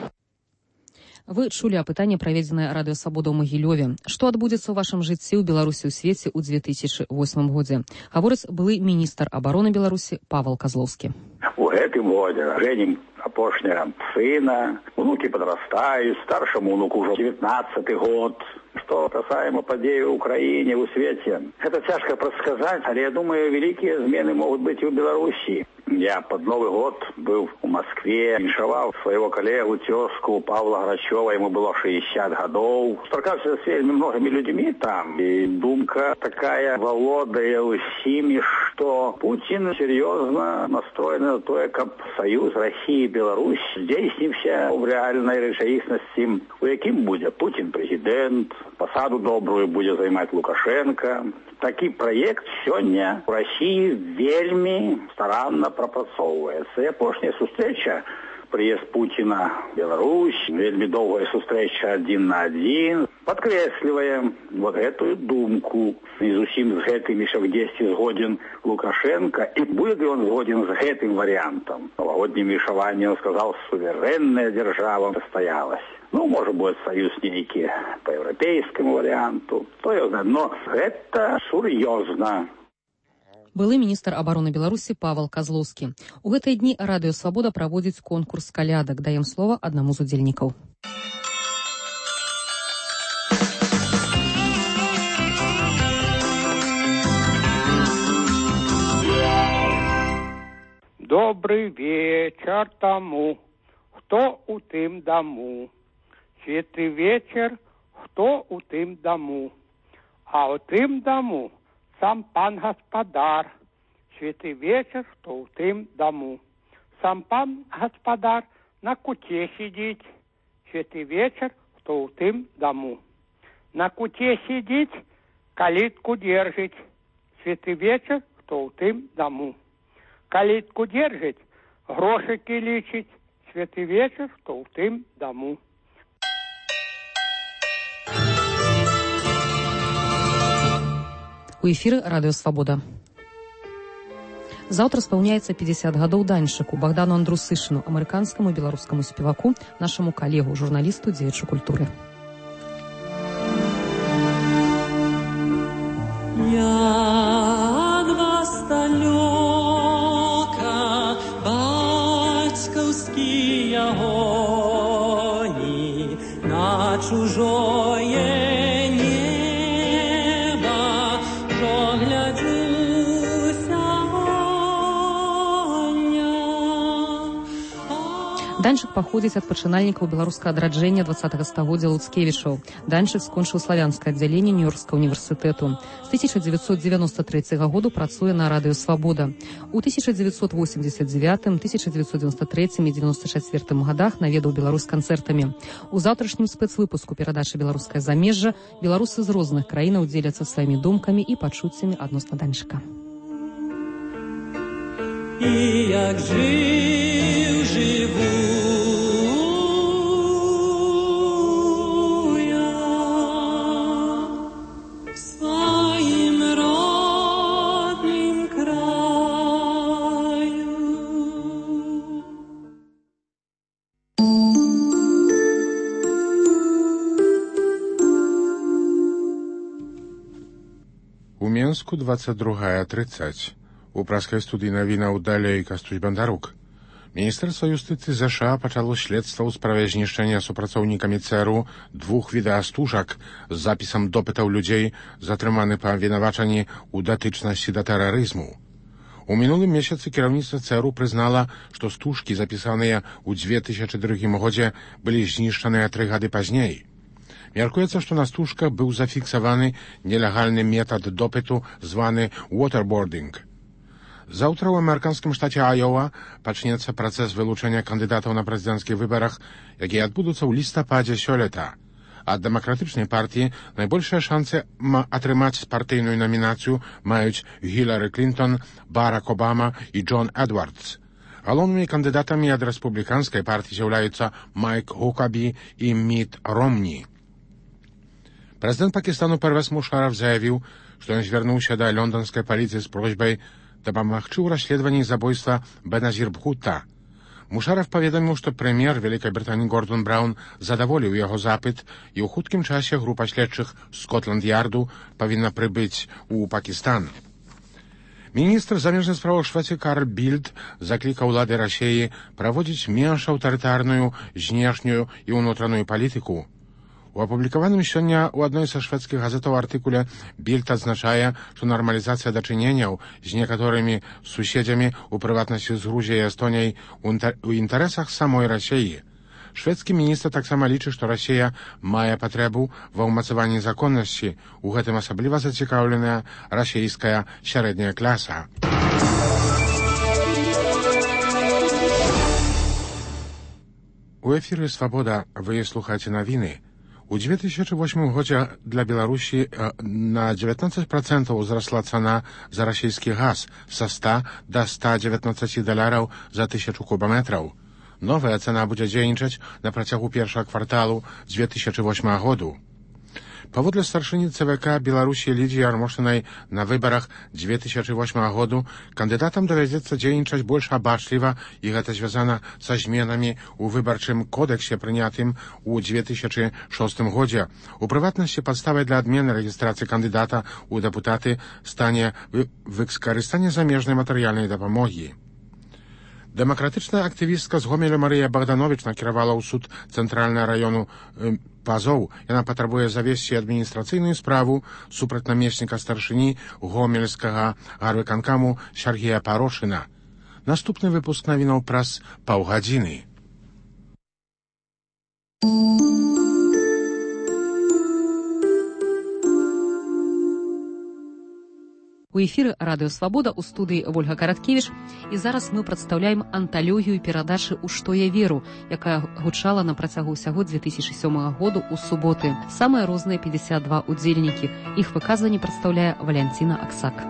Вы чулі апытанне, праведзенае Радыё Свабода ў Магілёве. Што адбудзецца ў вашым жыцці ў Беларусі ў свеце ў две тысячи восьмым годзе? Гаворыць былы міністр абароны Беларусі Павел Казлоўскі. У гэтым годзе жэнім апошняга сына, унукі падрастаюць, старшаму унуку ўжо девятнадцаты год. Что касаемо падзеі ў краіне, ў свеце, это цяжка прадсказаць, але я думаю, вялікія змены могуць быць і ў Беларусі. Я под Новый год был в Москве, віншаваў своего коллегу, тезку Павла Грачева, ему было шестьдесят годов. Сторкался с вельми многими людьми там, и думка такая володая усими, что Путин серьезно настроен на то, как союз России и Беларусь здейснився в реальной речаісності, у яким буде Путин президент, посаду добрую будет займать Лукашенко. Такі проект сёння в России вельми старанно прапрацоўваецца. І апошняя сустрэча, прыезд Путина в Беларусь, вельми доўгая сустрэча один на один, подкрэслівае вот эту думку. І зусім з гэтым еще где-то згоден Лукашенко. И будет ли он згоден с этим вариантом? Новогодним віншаваннем сказал, суверенная держава состоялась. Ну, может быть, союз нейкі по европейскому варианту. То есть, но это сур'ёзна. Былы міністр абароны Беларусі Павел Казлоўскі. У гэтыя дні Радыё Свабода праводзіць конкурс калядак. Даем слова аднаму з удзельнікаў. Добрый вечер тому, хто у тым даму. Світлий вечір, хто у тим дому, а у тим дому сам пан гаспадар. Світлий вечір, хто у тим дому. Сам пан гаспадар на куте сидить. Світлий вечір, хто у тим дому. На куте сидить, калитку держить. Світлий вечір, хто у тим дому. Калитку держить, грошики лічить. Світлий вечір, хто у тим дому. У эфіры Радыё Свабода. Заўтра спаўняецца пятьдесят гадоў даньшыку Богдану Андрусышыну, амерыканскаму і беларускаму спеваку, нашаму калегу, журналісту, дзеячу культуры. Як вас далёка бацькаўскія гоні на чужое Данчык паходзіць ад пачынальнікаў беларускага адраджэння двадцатага стагоддзя Луцкевічаў. Данчык скончыў славянскае аддзяленне Нью-Йоркскага універсітэту. З тысяча дзевяцьсот дзевяносто трэцяга году працуе на радыё «Свабода». У тысяча дзевяцьсот восемьдесят девятым, тысяча дзевяцьсот девяносто третьем і девяносто четвертым годах наведаў Беларусь канцэртамі. У заўтрашнім спецвыпуску перадачы «Беларускае замежжа» беларусы з розных краінаў дзеляцца сваімі думкамі і пачуццямі адносна Данчыка. І як жив, живу я в своїм роднім краю. У Менску двадцать другая тридцать. У праскай студыі навінаў далей Кастусь Бандарук. Міністэрства юстыцыі ЗША пачало следства ў справе знішчэння супрацоўнікамі ЦРУ двух відэастужак з запісам допытаў людзей, затрыманы па абвінавачанні ў датычнасці да тэрарызму. У мінулым месяцы кіраўніцтва ЦРУ прызнала, што стужкі, запісаныя ў две тысячы другім годзе, былі знішчаныя тры гады пазней. Мяркуецца, што на стужках быў зафіксаваны нелегальны метад допыту, званы waterboarding. Заўтра ў амерыканскім штаце Айова пачнецца працэс вылучэння кандыдатаў на прэзідэнцкіх выбарах, якія адбудуцца ў лістападзе сёлета. Ад дэмакратычнай партыі найбольшыя шансы атрымаць партыйную намінацыю маюць Гілары Клінтон, Барак Обама і Джон Эдвардс. Галоўнымі кандыдатамі ад рэспубліканскай партыі з'яўляюцца Майк Хукабі і Міт Ромні. Прэзідэнт Пакістану Первез Мушараф заявіў, што ён звярнуўся да лонданскай паліцыі з просьбай дапамагчы ў расследаванні забойства Беназір Бхутта. Мушараф паведаміў, што прэм'ер Вялікай Брытаніі Гордон Браун задаволіў яго запыт, і ў хуткім часе група следчых Скотланд-Ярду павінна прыбыць у Пакістан. Міністр замежных справаў Швецыі Карл Більд заклікаў улады Расіі праводзіць менш аўтарытарную знешнюю і ўнутраную палітыку. У апублікаваным сёння ў адной са шведскіх газетаў артыкуле Більд адзначае, што нармалізацыя дачыненняў з некаторымі суседзямі, у прыватнасці з Грузіяй і Эстоніяй, у інтарэсах самой Расіі. Шведскі міністр таксама лічыць, што Расія мае патрэбу ва ўмацаванні законнасці, у гэтым асабліва зацікаўленая расійская сярэдняя класа. У эфіры «Свабода» вы слухаеце навіны. У две тысячи восьмым годзе для Беларусі на девятнадцать процентов узрасла цана за расійскі газ са ста до ста девятнадцати даляраў за тысячу кубаметраў. Новая цана будзе дзейнічаць на працягу першага кварталу две тысячи восьмага году. Паводле старшыні ЦВК Беларусі Лідзіі Армошынай на выбарах две тысячи восьмага году кандыдатам давядзецца дзейнічаць больш абачліва, і гэта звязана са зменамі ў выбарчым кодэксе, прынятым у две тысячи шостым годзе. У прыватнасці падставай для адмены рэгістрацыі кандыдата ў дэпутаты стане выкарыстанне замежнай матэрыяльнай дапамогі. Дэмакратычная актывістка з Гомеля Марыя Богданович накіравала ў суд цэнтральнага раёну э, Пазоў. Яна патрабуе завесці адміністрацыйную справу супраць намесніка старшыні гомельскага гарвыканкаму Сергея Парошына. Наступны выпуск навінаў праз паўгадзіны. У эфіры радыё «Свабода», у студыі Вольга Караткевіч, і зараз мы прадстаўляем анталогію перадачы «У што я веру», якая гучала на працягу ўсяго две тысячи сёмага году ў суботы. Самыя розныя пятьдесят два удзельнікі. Іх выказванне прадстаўляе Валянціна Аксак.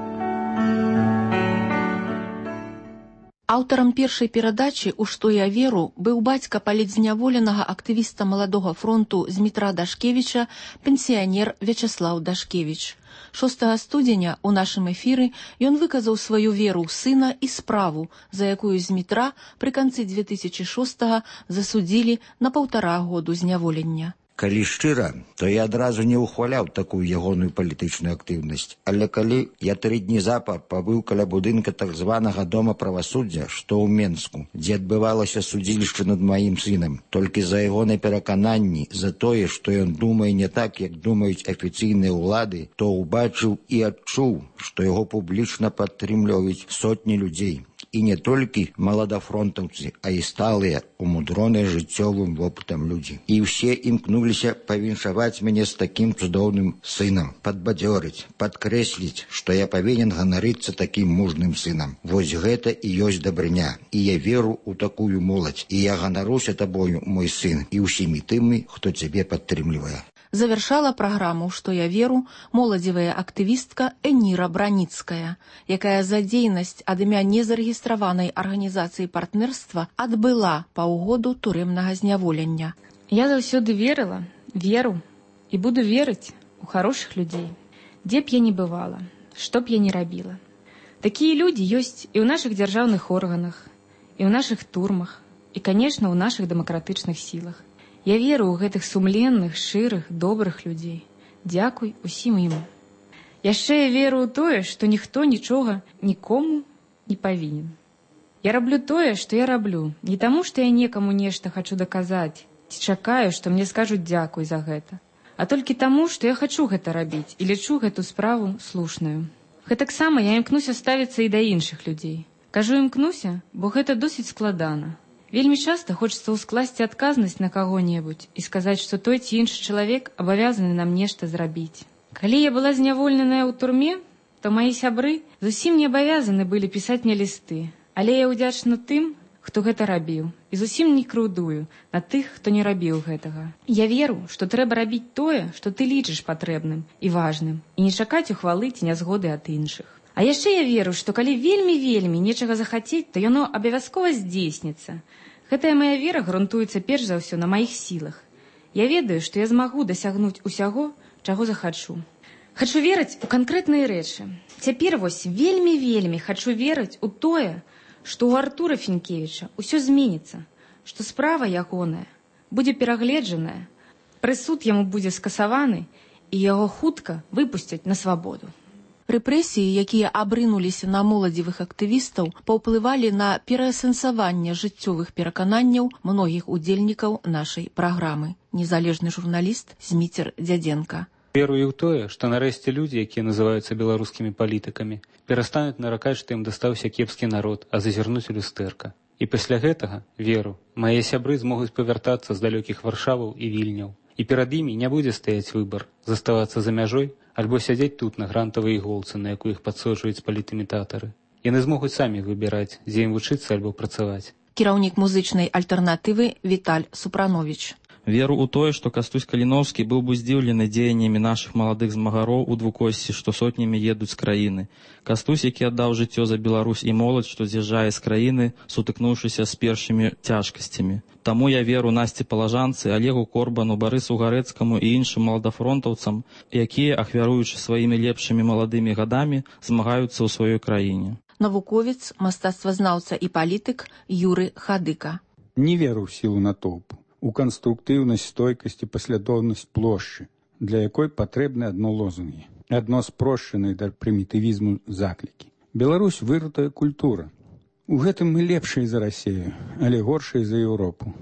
Аўтарам першай перадачы «У што я веру» быў бацька палітзняволенага актывіста маладога фронту Змітра Дашкевіча, пенсіянер Вячаслаў Дашкевіч. шостага студзеня ў нашым эфіры ён выказаў сваю веру ў сына і справу, за якую Змітра пры канцы две тысячи шостага засудзілі на паўтара году зняволення. Калі шчыра, то я адразу не ўхваляў такую ягоную палітычную актыўнасць. Але калі я тры дні запар пабыў каля будынка так званага дома правасуддзя, што ў Менску, дзе адбывалася судзілішча над маім сынам, толькі за ягонай перакананні, за тое, што ён думае не так, як думаюць афіцыйныя ўлады, то ўбачыў і адчуў, што яго публічна падтрымліваюць сотні людзей. І не толькі маладафронтаўцы, а і сталыя, умудроныя жыццёвым вопытам людзі. І ўсе імкнуліся павіншаваць мяне з такім цудоўным сынам, падбадзёрыць, падкрэсліць, што я павінен ганарыцца такім мужным сынам. Вось гэта і ёсць дабрыня. І я веру ў такую моладзь. І я ганаруся табою, мой сын, і ўсімі тымі, хто цябе падтрымлівае. Завершала праграму «Што я веру» моладзевая актывістка Эніра Браніцкая, якая за дзейнасць ад імя незарэгістраванай арганізацыі партнерства адбыла паўгоду турэмнага зняволення. Я заўсёды верыла, веру і буду верыць у хорошых людзей, дзе б я не бывала, што б я не рабіла. Такія людзі ёсць і ў нашых дзяржаўных органах, і ў нашых турмах, і, канешне, ў нашых дэмакратычных сілах. Я веру ў гэтых сумленных, шчырых, добрых людзей. Дзякуй усім ім. Яшчэ я веру ў тое, што ніхто нічога нікому не павінен. Я раблю тое, што я раблю, не таму, што я некаму нешта хачу даказаць, ці чакаю, што мне скажуць дзякуй за гэта, а толькі таму, што я хачу гэта рабіць і лічу гэту справу слушную. Гэтаксама я імкнуся ставіцца і да іншых людзей. Кажу імкнуся, бо гэта досыць складана. Вельмі часта хочацца ўскласці адказнасць на каго-небудзь і сказаць, што той ці іншы чалавек абавязаны нам нешта зрабіць. Калі я была зняволеная ў турме, то маі сябры зусім не абавязаны былі пісаць мне лісты, але я ўдзячна тым, хто гэта рабіў, і зусім не крыўдую на тых, хто не рабіў гэтага. Я веру, што трэба рабіць тое, што ты лічыш патрэбным і важным, і не чакаць ухвалы ці нязгоды ад іншых. А яшчэ я веру, што калі вельмі-вельмі нечага захацець, то яно абавязкова здзейсніцца. Гэтая мая вера грунтуецца перш за ўсё на маіх сілах. Я ведаю, што я змагу дасягнуць усяго, чаго захачу. Хачу верыць у канкрэтныя рэчы. Цяпер вось вельмі-вельмі хачу верыць у тое, што ў Артура Фінкевіча ўсё зменіцца, што справа ягоная будзе перагледжаная, прысуд яму будзе скасаваны, і яго хутка выпусцяць на свабоду. Рэпрэсіі, якія абрынуліся на моладзевых актывістаў, паўплывалі на пераасэнсаванне жыццёвых перакананняў многіх удзельнікаў нашай праграмы. Незалежны журналіст Зміцер Дзядзенка. Верую ў тое, што нарэшце людзі, якія называюцца беларускімі палітыкамі, перастануць наракаць, што ім дастаўся кепскі народ, а зазірнуць у люстэрка. І пасля гэтага, веру, мае сябры змогуць павяртацца з далёкіх Варшаваў і Вільняў. І перад імі не будзе стаяць выбар, заставацца за мяжой, альбо сядзець тут на грантавай іголцы, на якую іх падсоджваюць палітымітатары. Яны змогуць самі выбіраць, дзе ім вучыцца альбо працаваць. Кіраўнік музычнай альтэрнатывы Віталь Супрановіч. Веру ў тое, што Кастусь Каліноўскі быў бы здзіўлены дзеяннямі нашых маладых змагароў у двукосці, што сотнямі едуць з краіны. Кастусь, які аддаў жыццё за Беларусь і моладзь, што з'язджае з краіны, сутыкнуўшыся з першымі цяжкасцямі. Таму я веру Насці Палажанцы, Алегу Корбану, Барысу Гарэцкаму і іншым маладафронтаўцам, якія, ахвяруючы сваімі лепшымі маладымі гадамі, змагаюцца ў сваёй краіне. Навуковец, мастацтвазнаўца і палітык Юры Хадыка. Не веру ў сілу натоўпу, у канструктыўнасць, стойкасць і паслядоўнасць плошчы, для якой патрэбны адно лозунгі, адно спрошчанае да прымітывізму заклікі. Беларусь вырытая культура. У гэтым мы лепшыя за Расею, але горшыя за Еўропу.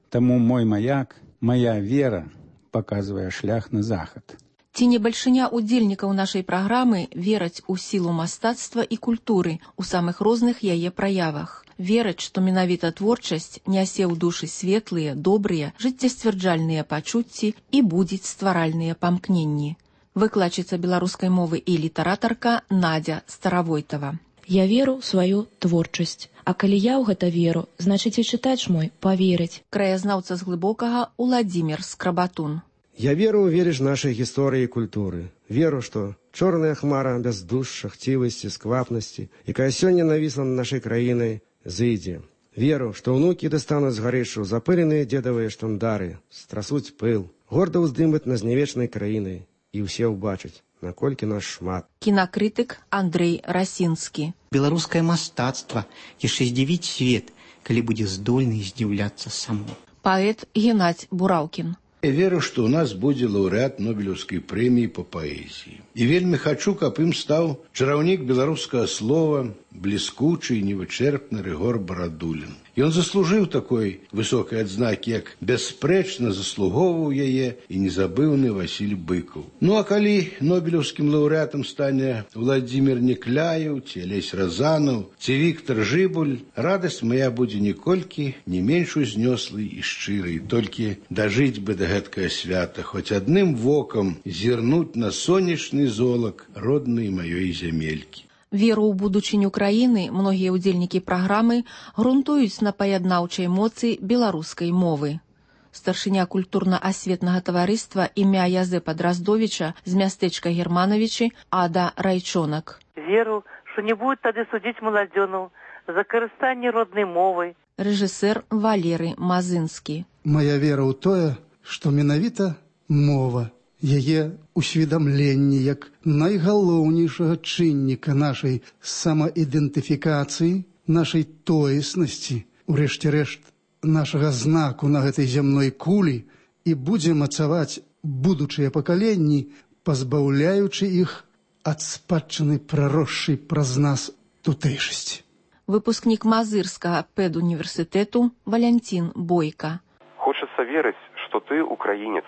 Таму мой маяк, мая вера паказвае шлях на захад. Ці не бальшыня удзельнікаў нашай праграмы вераць у сілу мастацтва і культуры ў самых розных яе праявах. Вераць, што менавіта творчасць нясе ў душы светлыя, добрыя, жыццесцвярджальныя пачуцці і будзіць стваральныя памкненні. Выкладчыца беларускай мовы і літаратарка Надзя Старавойтава. Я веру ў сваю творчасць. А калі я ў гэта веру, значыць і чытач мой паверыць. Краязнаўца з глыбокага Уладзімір Скрабатун. Я веру ў верыш нашай гісторыі і культуры. Веру, што чорная хмара бяздушча, хцівасці, сквапнасці, якая сёння навісла над нашай краінай, зыдзе. Веру, што ўнукі дастануць з гарышу запыленыя дзедавыя штандары, страсуць пыл, горда ўздымаць над знявечнай краінай, і ўсе ўбачаць, наколькі нас шмат. Кінакрытык Андрэй Расінскі. Беларускае мастацтва яшчэ здзівіць свет, калі будзе здольны здзіўляцца само. Паэт Геннадзь Бураўкін. Я веру, што ў нас будзе лаўрэат Нобелеўскай прэміі па паэзіі. І вельмі хачу, каб ім стаў чараўнік беларускага слова, бліскучы і невычэрпны Рыгор Барадулін. Ён заслужыў такой высокай адзнакі, як бясспрэчна заслугоўваў яе і незабыўны Васіль Быкаў. Ну а калі нобелеўскім лаўрэатам стане Владзімір Некляеў, ці Алесь Разанаў, ці Віктар Жыбуль, радасць мая будзе ніколькі не менш узнёслай і шчырай. Толькі дажыць бы да гэткага свята, хоць адным вокам зірнуць на сонечны золак роднай маёй зямелькі. Веру ў будучыню краіны многія ўдзельнікі праграмы грунтуюць на паяднаўчай моцы беларускай мовы. Старшыня культурна-асветнага таварыства імя Язэпа Драздовіча з мястэчка Германовичы Ада Райчонак. Веру, што не будуць тады судзіць маладзёнаў за карыстанне роднай мовай. Рэжысэр Валеры Мазынскі. Мая вера ў тое, што менавіта мова, яе усведамленне як найгалоўнейшага чынніка нашай самаідэнтыфікацыі, нашай тоеснасці, урэшце рэшт, нашага знаку на гэтай зямной кулі і будзе мацаваць будучыя пакаленні, пазбаўляючы іх ад спадчыны праросшай праз нас тутэйшасці. Выпускнік Мазырскага педуніверсітэту Валянцін Бойка. Хочацца верыць, што ты украінец,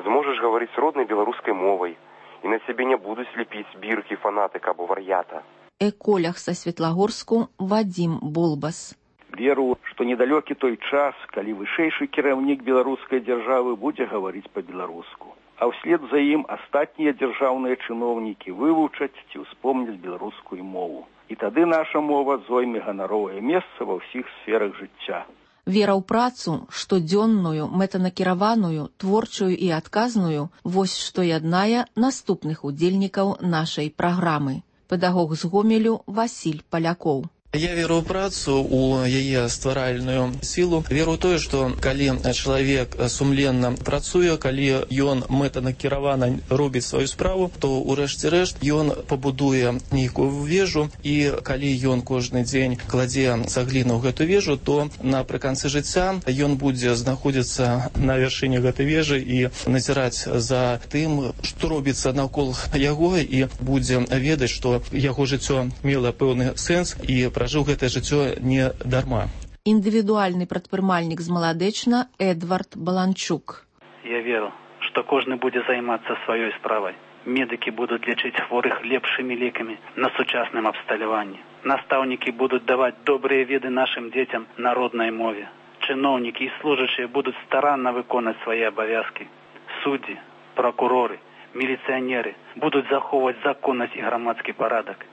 зможаш гаварыць роднай беларускай мовай, і на цябе не будуць лепіць біркі фанатыка або вар'ята. Эколях са Светлагорску Вадзім Болбас. Веру, што недалёкі той час, калі вышэйшы кіраўнік беларускай дзяржавы будзе гаварыць па-беларуску, а ўслед за ім астатнія дзяржаўныя чыноўнікі вывучаць ці ўспомняць беларускую мову. І тады наша мова зойме ганаровае месца ва ўсіх сферах жыцця. Вера ў працу, штодзённую, мэтанакіраваную, творчую і адказную, вось што яднае наступных удзельнікаў нашай праграмы. Педагог з Гомелю Васіль Палякоў. Я веру ў працу, у яе стваральную сілу. Веру ў тое, што калі чалавек сумленна працуе, калі ён мэтанакіравана робіць сваю справу, то ўрэшце рэшт ён пабудуе нейкую вежу, і калі ён кожны дзень кладзе цагліну ў гэту вежу, то напрыканцы жыцця ён будзе знаходзіцца на вяршыні гэтай вежы і назіраць за тым, што робіцца наўкол яго, і будзе ведаць, што яго жыццё мела пэўны сэнс і пражыў гэтае жыццё не дарма. Індывідуальны прадпрымальнік з Маладэчна Эдвард Баланчук. Я веру, што кожны будзе займацца сваёй справай. Медыкі будуць лечыць хворых лепшымі лекамі на сучасным абсталяванні. Настаўнікі будуць даваць добрыя веды нашым дзецям на роднай мове. Чыноўнікі і служачыя будуць старанна выконаць свае абавязкі. Суддзі, пракуроры, міліцыянеры будуць захоўваць законнасць і грамадскі парадак.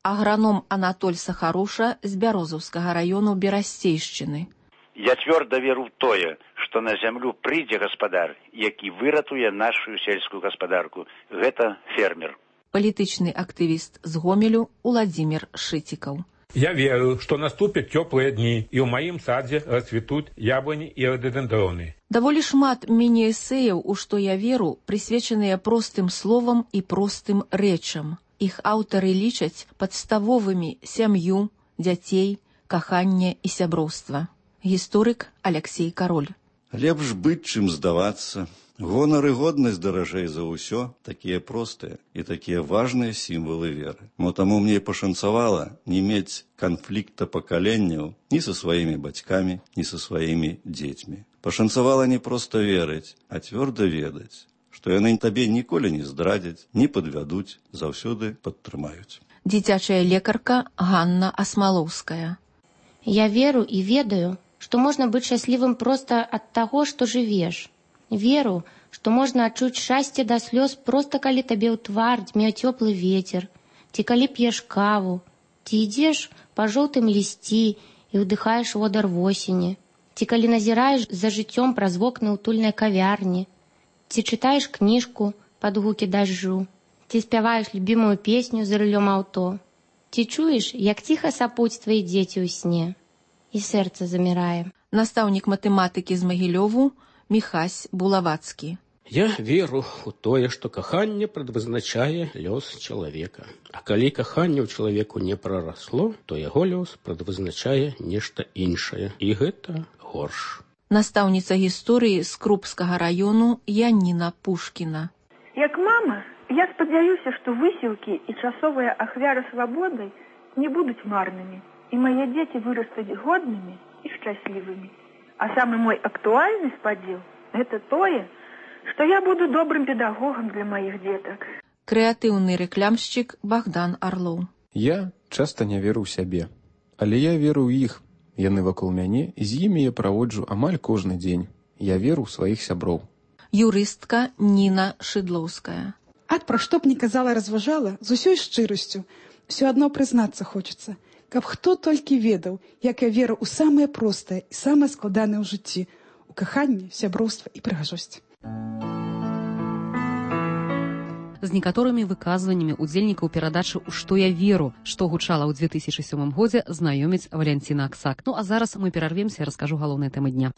Аграном Анатоль Сахаруша з Бярозаўскага раёну Берасцейшчыны. Я цвёрда веру ў тое, што на зямлю прыйдзе гаспадар, які выратуе нашу сельскую гаспадарку. Гэта фермер. Палітычны актывіст з Гомелю Уладзімір Шыцікаў. Я верю, што наступяць цёплыя дні, і ў маім садзе расцвітуць яблыні і рододендроны. Даволі шмат міні-эсэяў, у што я веру, прысвечаныя простым словам і простым рэчам. Іх аўтары лічаць падставовымі сям'ю, дзяцей, каханне і сяброўства. Гісторык Аляксей Кароль. Лепш быць, чым здавацца. Гонар і годнасць даражэй за ўсё, такія простыя і такія важныя сімвалы веры. Мо таму мне пашанцавала не мець канфлікта пакаленняў ні са сваімі бацькамі, ні са сваімі дзецьмі. Пашанцавала не проста верыць, а цвёрда ведаць, што яны табе ніколі не здрадзяць, не падвядуць, заўсёды падтрымаюць. Дзіцячая лекарка Ганна Асмалоўская. Я веру і ведаю, што можна быць шчаслівым проста ад таго, што жывеш. Веру, што можна адчуць шчасце да слёз проста калі табе ў твар дзьме цёплы вецер, ці калі п'еш каву, ці ідзеш па жоўтым лісці і ўдыхаеш водар восені, ці калі назіраеш за жыццём праз вокны ўтульнай кавярні, ці чытаеш кніжку пад гукі дажджу, ці спяваеш любімую песню за рулём аўто, ці чуеш, як ціха сапуць твае дзеці ў сне, і сэрца замірае. Настаўнік матэматыкі з Магілёву Міхась Булавацкі. Я веру ў тое, што каханне прадвызначае лёс чалавека. А калі каханне ў чалавеку не прарасло, то яго лёс прадвызначае нешта іншае. І гэта горш. Настаўніца гісторыі з Крупскага раёну Яніна Пушкіна. Як мама, Я спадзяюся, што высілкі і часовыя ахвяры свабоды не будуць марнымі, і мае дзеці вырастуць годнымі і шчаслівымі. А самы мой актуальны спадзеў – гэта тое, што я буду добрым педагогам для маіх дзетак. Крэатыўны рэклямшчык Богдан Орлоў. Я часта не веру ў сябе, але я веру ў іх. Яны вакол мяне, і з імі я праводжу амаль кожны дзень. Я веру ў сваіх сяброў. Юрыстка Ніна Шыдлоўская. Ад пра што б ні казала, разважала, з усёй шчырасцю. Усё адно прызнацца хочацца, каб хто толькі ведаў, як я веру ў самае простае і самае складанае ў жыцці, у каханне, сяброўства і прыгажосць. З некаторымі выказваннямі удзельнікаў перадачы «У што я веру», што гучала ў две тысячы сёмым годзе, знаёміць Валянціна Аксак. Ну а зараз мы перарвемся і раскажу галоўныя тэмы дня.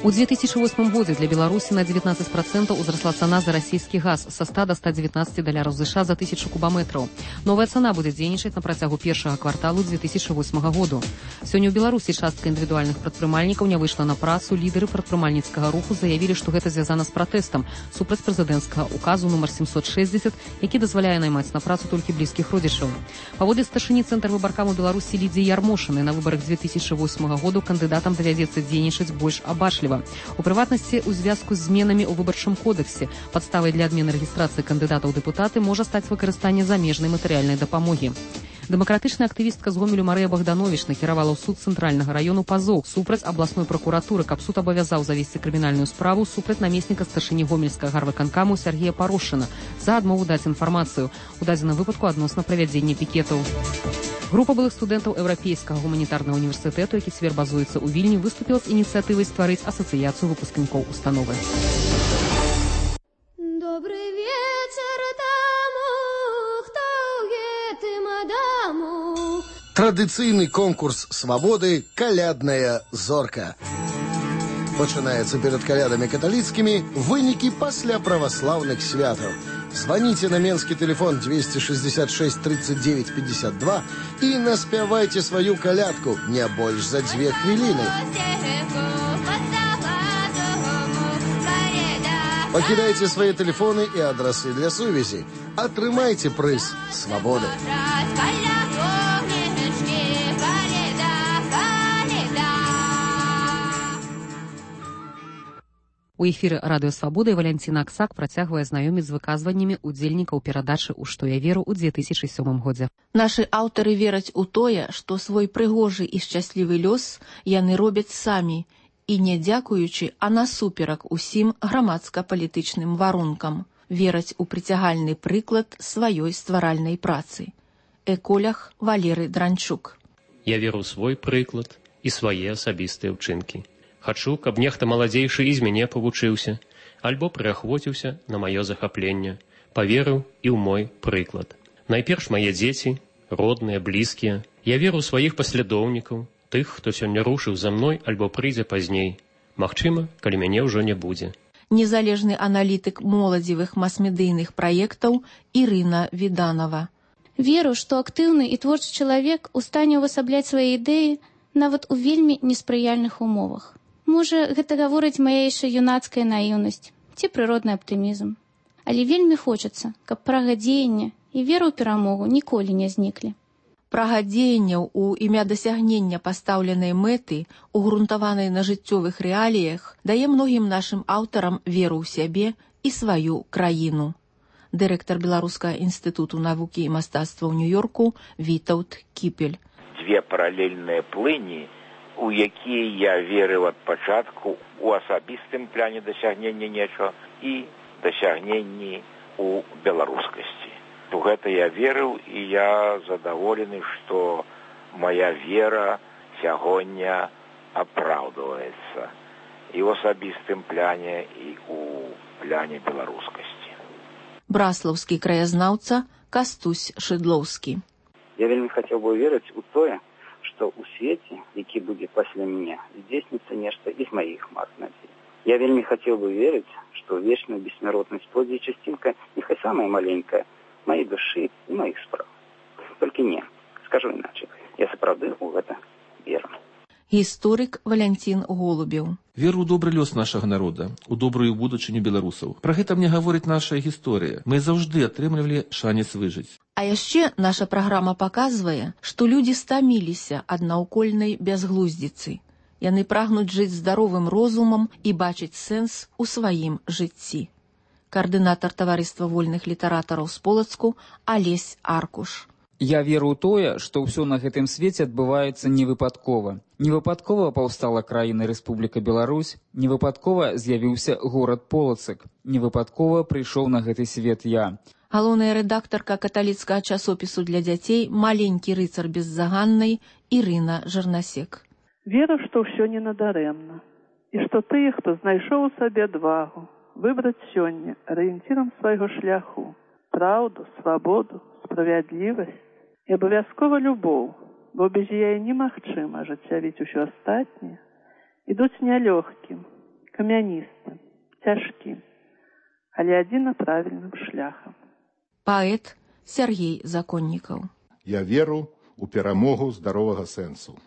У две тысячи восьмым годзе для Беларусі на девятнадцать процентов узросла цана за расійскі газ са ста до ста девятнадцати даляраў США за тысячу кубометраў. Новая цана будзе дзейнічаць на працягу першага кварталу две тысячи восьмага году. Сёння ў Беларусі частка індывідуальных прадпрымальнікаў не выйшла на працу. Лідары прадпрымальніцкага руху заявілі, што гэта звязана з пратэстам супраць прэзідэнцкага указу нумар семьсот шестьдесят, які дазваляе наймаць на працу толькі блізкіх родзічаў. Паводле старшыні Цэнтр выбаркаму Беларусі Лідзіі Ярмошынай, на выбарах две тысячи восьмага году кандыдатам давядзецца дзейнічаць больш абачліва. У прыватнасці, у звязку з зменамі ў выбарчым кодексе падставай для адмены рэгістрацыі кандыдатаў у дэпутаты можа стаць выкарыстанне замежнай матэрыяльнай дапамогі. Дэмакратычная актывістка з Гомелю Марыя Богданович накіравала ў суд цэнтральнага раёну пазоў супраць абласной пракуратуры, каб суд абавязаў завесці крымінальную справу супраць намесніка старшыні гомельскага гарвыканкаму Сергея Парошына за адмову даць інфармацыю, у дадзеным выпадку адносна правядзення пікетаў. Група былых студэнтаў Еўрапейскага гуманітарнага універсітэту, які цяпер базуецца ў Вільні, выступіла з ініцыятывай стварыць асацыяцыю выпускнікоў установы. Добрый вечер таму, хто гэтым адаму. Традыцыйны конкурс свабоды «Калядная зорка». Пачынаецца перад калядамі каталіцкімі, вынікі пасля праваслаўных святаў. Звоните на менский телефон двести шестьдесят шесть тридцать девять пятьдесят два и наспявайте свою колядку не больше за две хвилины. Покидайте свои телефоны и адресы для сувязі. Атрымайте прыз свободы. У эфіры радыё Свабода Валянціна Аксак працягвае знаёміць з выказваннямі удзельнікаў перадачы «У што я веру» ў две тысячи сёмым годзе. Нашы аўтары вераць у тое, што свой прыгожы і шчаслівы лёс яны робяць самі, і не дзякуючы, а насуперак усім грамадска-палітычным варункам. Вераць у прыцягальны прыклад сваёй стваральнай працы. Эколях Валерый Дранчук. Я веру ў свой прыклад і свае асабістыя ўчынкі. Хачу, каб нехта маладзейшы і з мяне павучыўся, альбо прыахвоціўся на маё захапленне, паверыў і ў мой прыклад. Найперш мае дзеці, родныя, блізкія. Я веру ў сваіх паслядоўнікаў, тых, хто сёння рушыў за мной альбо прыйдзе пазней. Магчыма, калі мяне ўжо не будзе. Незалежны аналітык моладзевых мас-медыйных праектаў Ірына Віданова. Веру, што актыўны і творчы чалавек у стане ўвасабляць свае ідэі нават у вельмі неспрыяльных умовах. Можа, гэта гаворыць мая яшчэ юнацкая наіўнасць ці прыродны аптымізм. Але вельмі хочацца, каб прага дзеяння і вера ў перамогу ніколі не зніклі. Прага дзеянняў у імя дасягнення пастаўленай мэты, угрунтаванай на жыццёвых рэаліях, дае многім нашым аўтарам веру ў сябе і сваю краіну. Дырэктар Беларускага інстытуту навукі і мастацтва ў Нью-Йорку Вітаўт Кіпель. Дзве паралельныя плыні, у якія я верыў ад пачатку у асабістым пляне дасягнення нечага і дасягненні у беларускасці. У гэта я верыў, і я задаволены, што моя вера сягоння апраўдваецца і ў асабістым пляне, і ў пляне беларускасці. Браслаўскі краязнаўца Кастусь Шыдлоўскі. Я вельмі хацеў бы верыць у тое, што ў свеце, які будзе пасля мяне, здзейсніцца нешта і з маіх мар надзей. Я вельмі хацеў бы верыць, што вечную бессмяротнасць плодзе часцінка, няхай самая маленькая, маёй душы і маіх спраў. Толькі не, скажу іначай, я сапраўды ў гэта веру. Гісторык Валянцін Голубеў. Веру ў добры лёс нашага народа, у добрую будучыню беларусаў. Пра гэта мне гаворыць наша гісторыя. Мы заўжды атрымлівалі шанец выжыць. А яшчэ наша праграма паказвае, што людзі стаміліся ад наўкольнай бязглуздзіцы. Яны прагнуць жыць здаровым розумам і бачыць сэнс у сваім жыцці. Каардынатар таварыства вольных літаратараў з Полацку Алесь Аркуш. Я веру ў тое, што ўсё на гэтым свеце адбываецца невыпадкова. Невыпадкова паўстала краіна Рэспубліка Беларусь, невыпадкова з'явіўся горад Полацак, невыпадкова прыйшоў на гэты свет я. Галоўная рэдактарка каталіцкага часопісу для дзяцей «Маленькі рыцар беззаганнай» Ірына Жарнасек. Веру, што ўсё не надарэмна, і што тыя, хто знайшоў у сабе адвагу, выбраць сёння арыенцірам свайго шляху, праўду, свабоду, справядлівасць і абавязкова любоў, бо без яе немагчыма ажыццявіць усё астатняе, ідуць нялёгкім, камяністым, цяжкім, але адзіна правільным шляхам. Паэт Сергей Законнікаў. Я веру ў перамогу здаровага сэнсу.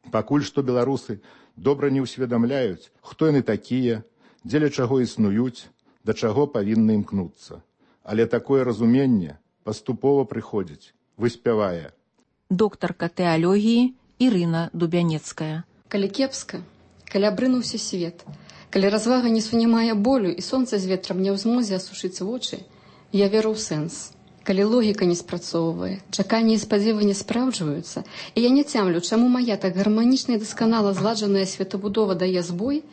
Пакуль што беларусы добра не ўсведамляюць, хто яны такія, дзеля чаго існуюць, да чаго павінны імкнуцца. Але такое разуменне паступова прыходзіць, выспявае. Доктарка тэалогіі Ірына Дубянецкая. Калі кепска, калі абрынуўся свет, калі развага не сунімае болю і сонца з ветрам не ў змозе асушыць вочы, я веру ў сэнс. Калі логіка не спрацоўвае, чаканні і спадзевы не спраўджваюцца, і я не цямлю, чаму мая так гарманічна і дасканала зладжаная светабудова дае збой,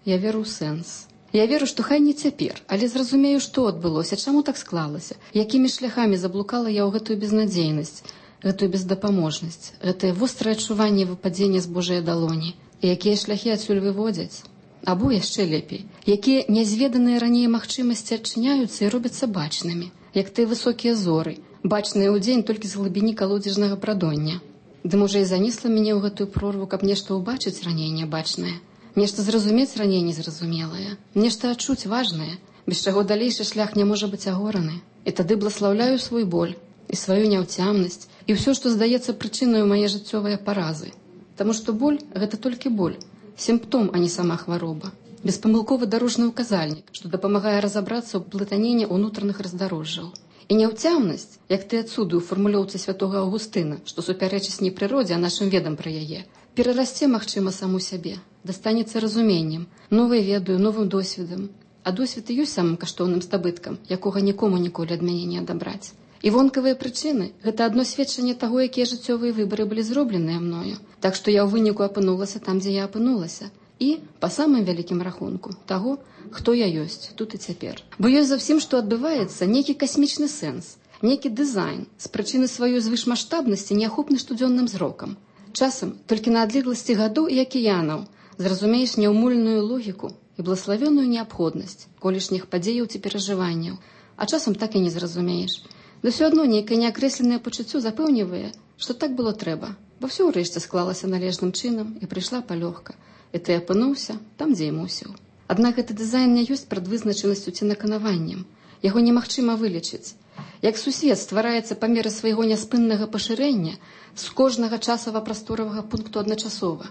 я веру ў сэнс. Я веру, што хай не цяпер, але зразумею, што адбылося, чаму так склалася, якімі шляхамі заблукала я ў гэтую безнадзейнасць, гэтую бездапаможнасць, гэтае вострае адчуванне выпадзення з Божай далоні, і якія шляхі адсюль выводзяць. Або яшчэ лепей, якія нязведаныя раней магчымасці адчыняюцца і робяцца бачнымі, як тыя высокія зоры, бачныя ўдзень толькі з глыбіні калодзежнага прадоння. Ды можа і занесла мяне ў гэтую прорву, каб нешта ўбачыць раней нябачнае. Нешта зразумець раней незразумелае, нешта адчуць важнае, без чаго далейшы шлях не можа быць агораны. І тады бласлаўляю свой боль, і сваю няўцямнасць, і ўсё, што здаецца прычынаю мае жыццёвыя паразы. Таму што боль – гэта толькі боль, сімптом, а не сама хвароба. Беспамылковы дарожны ўказальнік, што дапамагае разабрацца ў плытанені ўнутраных раздарожжаў. І няўцямнасць, як ты адсюды ў фармулёўцы святога Аўгустына, што супярэчыць не прыродзе, а нашым ведам пра яе, перарасце, магчыма, саму сябе, дастанецца разуменнем, новай ведаю, новым досведам. А досвед і ёсць самым каштоўным здабыткам, якога нікому ніколі ад мяне не адабраць. І вонкавыя прычыны – гэта адно сведчанне таго, якія жыццёвыя выбары былі зробленыя мною. Так што я ў выніку апынулася там, дзе я апынулася. І, па самым вялікім рахунку, таго, хто я ёсць тут і цяпер. Бо ёсць за ўсім, што адбываецца, нейкі касмічны сэнс, нейкі дызайн з прычыны сваёй звышмаштабнасці неахопны штодзённым зрокам. Часам, толькі на адлегласці гадоў і акіянаў, зразумееш няўмольную логіку і блаславёную неабходнасць колішніх падзеяў ці перажыванняў, а часам так і не зразумееш. Да ўсё адно нейкае неакрэсленае пачуццё запэўнівае, што так было трэба, бо ўсё ўрэшце склалася належным чынам і прыйшла палёгка, і ты апынуўся там, дзе і мусіў. Аднак гэты дызайн не ёсць прадвызначанасцю ці наканаваннем, яго немагчыма вылечыць. Як сусвет ствараецца па меры свайго няспыннага пашырэння з кожнага часава-прасторавага пункту адначасова,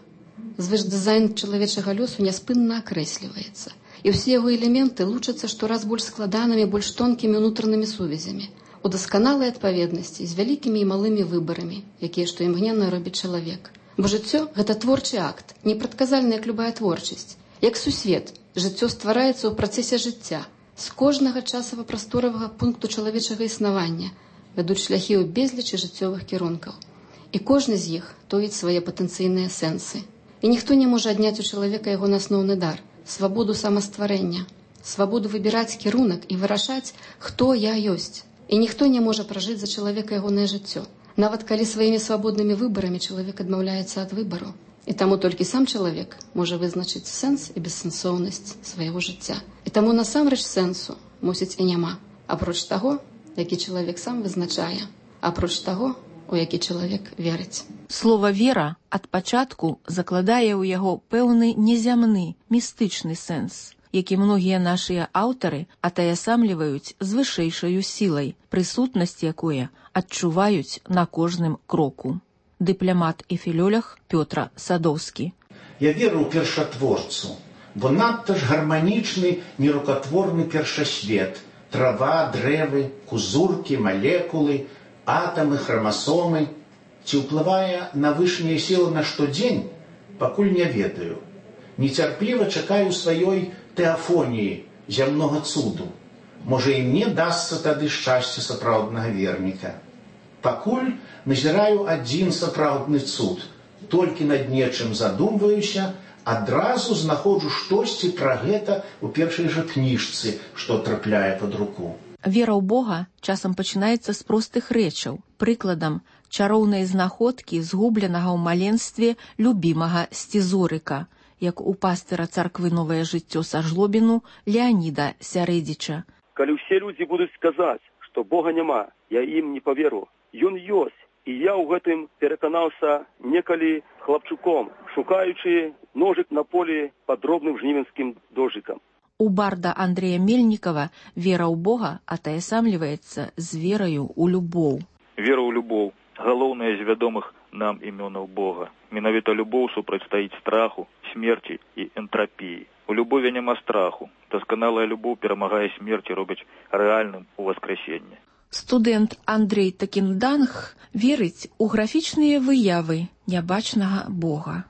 звышдызайн чалавечага лёсу няспынна акрэсліваецца, і ўсе яго элементы лучацца штораз больш складанымі, больш тонкімі ўнутранымі сувязямі, у дасканалай адпаведнасці з вялікімі і малымі выбарамі, якія што імгненна робіць чалавек. Бо жыццё – гэта творчы акт, непрадказальная як любая творчасць. Як сусвет, жыццё ствараецца ў працэсе жыцця, з кожнага часава-прасторавага пункту чалавечага існавання вядуць шляхі ў безлічы жыццёвых кірункаў. І кожны з іх тоіць свае патэнцыйныя сэнсы. І ніхто не можа адняць у чалавека яго асноўны дар – свабоду самастварэння, свабоду выбіраць кірунак і вырашаць, хто я ёсць. І ніхто не можа пражыць за чалавека ягонае жыццё, нават калі сваімі свабоднымі выбарамі чалавек адмаўляецца ад выбару. І таму толькі сам чалавек можа вызначыць сэнс і бессэнсоўнасць свайго жыцця. І таму насамрэч сэнсу, мусіць, і няма. Апроч таго, які чалавек сам вызначае, апроч таго, у які чалавек верыць. Слова «вера» ад пачатку закладае ў яго пэўны незямны, містычны сэнс, які многія нашыя аўтары атаясамліваюць з вышэйшаю сілай, прысутнасць якое адчуваюць на кожным кроку. Дыпламат і філёлях Пётра Садоўскі. Я веру ў першатворцу, бо надта ж гарманічны нерукатворны першасвет. Трава, дрэвы, кузуркі, малекулы, атамы, храмасомы. Ці ўплывае на вышнія сілы на штодзень, пакуль не ведаю. Нецярпліва чакаю сваёй тэафоніі, зямнога цуду. Можа, і мне дасца тады шчасце сапраўднага верніка. Пакуль назіраю адзін сапраўдны цуд. Толькі над нечым задумваюся, адразу знаходжу штосьці пра гэта ў першай жа кніжцы, што трапляе пад руку. Вера ў Бога часам пачынаецца з простых рэчаў. Прыкладам, чароўныя знаходкі згубленага ў маленстве любімага Сцізорыка, як у пастыра царквы «Новае жыццё» са Жлобіну Леаніда Сярэдзіча. Калі ўсе людзі будуць сказаць, што Бога няма, я ім не паверу. Ён ёсць, і я ў гэтым пераканаўся некалі хлапчуком, шукаючы ножык на полі пад дробным жнівенскім дождыкам. У барда Андрэя Мельнікава вера ў Бога атаясамліваецца з вераю ў любоў. Вера ў любоў – галоўнае з вядомых нам імёнаў Бога. Менавіта любоў супрацьстаіць страху, смерці і энтрапіі. У любові няма страху. Дасканалая любоў перамагае смерць і робіць рэальным у васкрэсенне. Студэнт Андрей Такінданг верыць у графічныя выявы нябачнага Бога.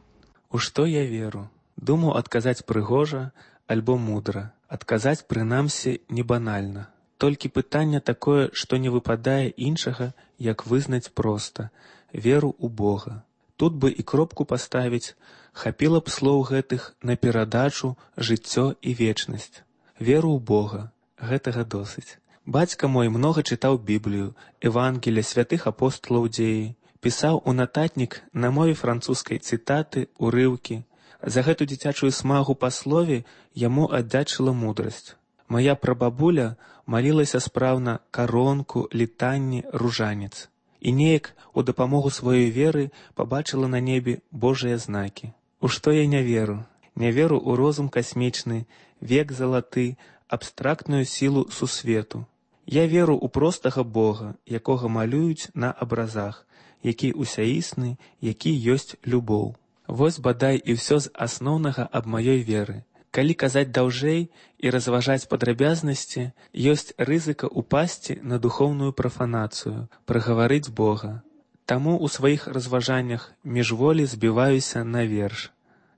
У што я веру? Думаю, адказаць прыгожа, альбо мудра. Адказаць, прынамсі, не банальна. Толькі пытанне такое, што не выпадае іншага, як вызнаць проста. Веру ў Бога. Тут бы і кропку паставіць, хапіла б слоў гэтых на перадачу, жыццё і вечнасць. Веру ў Бога. Гэтага досыць. Бацька мой многа чытаў Біблію, Евангелія святых апосталаў дзеі, пісаў у нататнік на мове французскай цытаты, урыўкі. За гэту дзіцячую смагу па слове яму аддзячыла мудрасць. Мая прабабуля малілася спраўна каронку, літанні, ружанец. І неяк у дапамогу сваёй веры пабачыла на небе Божыя знакі. У што я не веру? Не веру ў розум касмічны, век залаты, абстрактную сілу сусвету. Я веру ў простага Бога, якога малююць на абразах, які усяісны, які ёсць любоў. Вось бадай і ўсё з асноўнага аб маёй веры. Калі казаць даўжэй і разважаць падрабязнасці, ёсць рызыка ўпасці на духоўную прафанацыю, прагаварыць Бога. Таму ў сваіх разважаннях міжволі збіваюся на верш.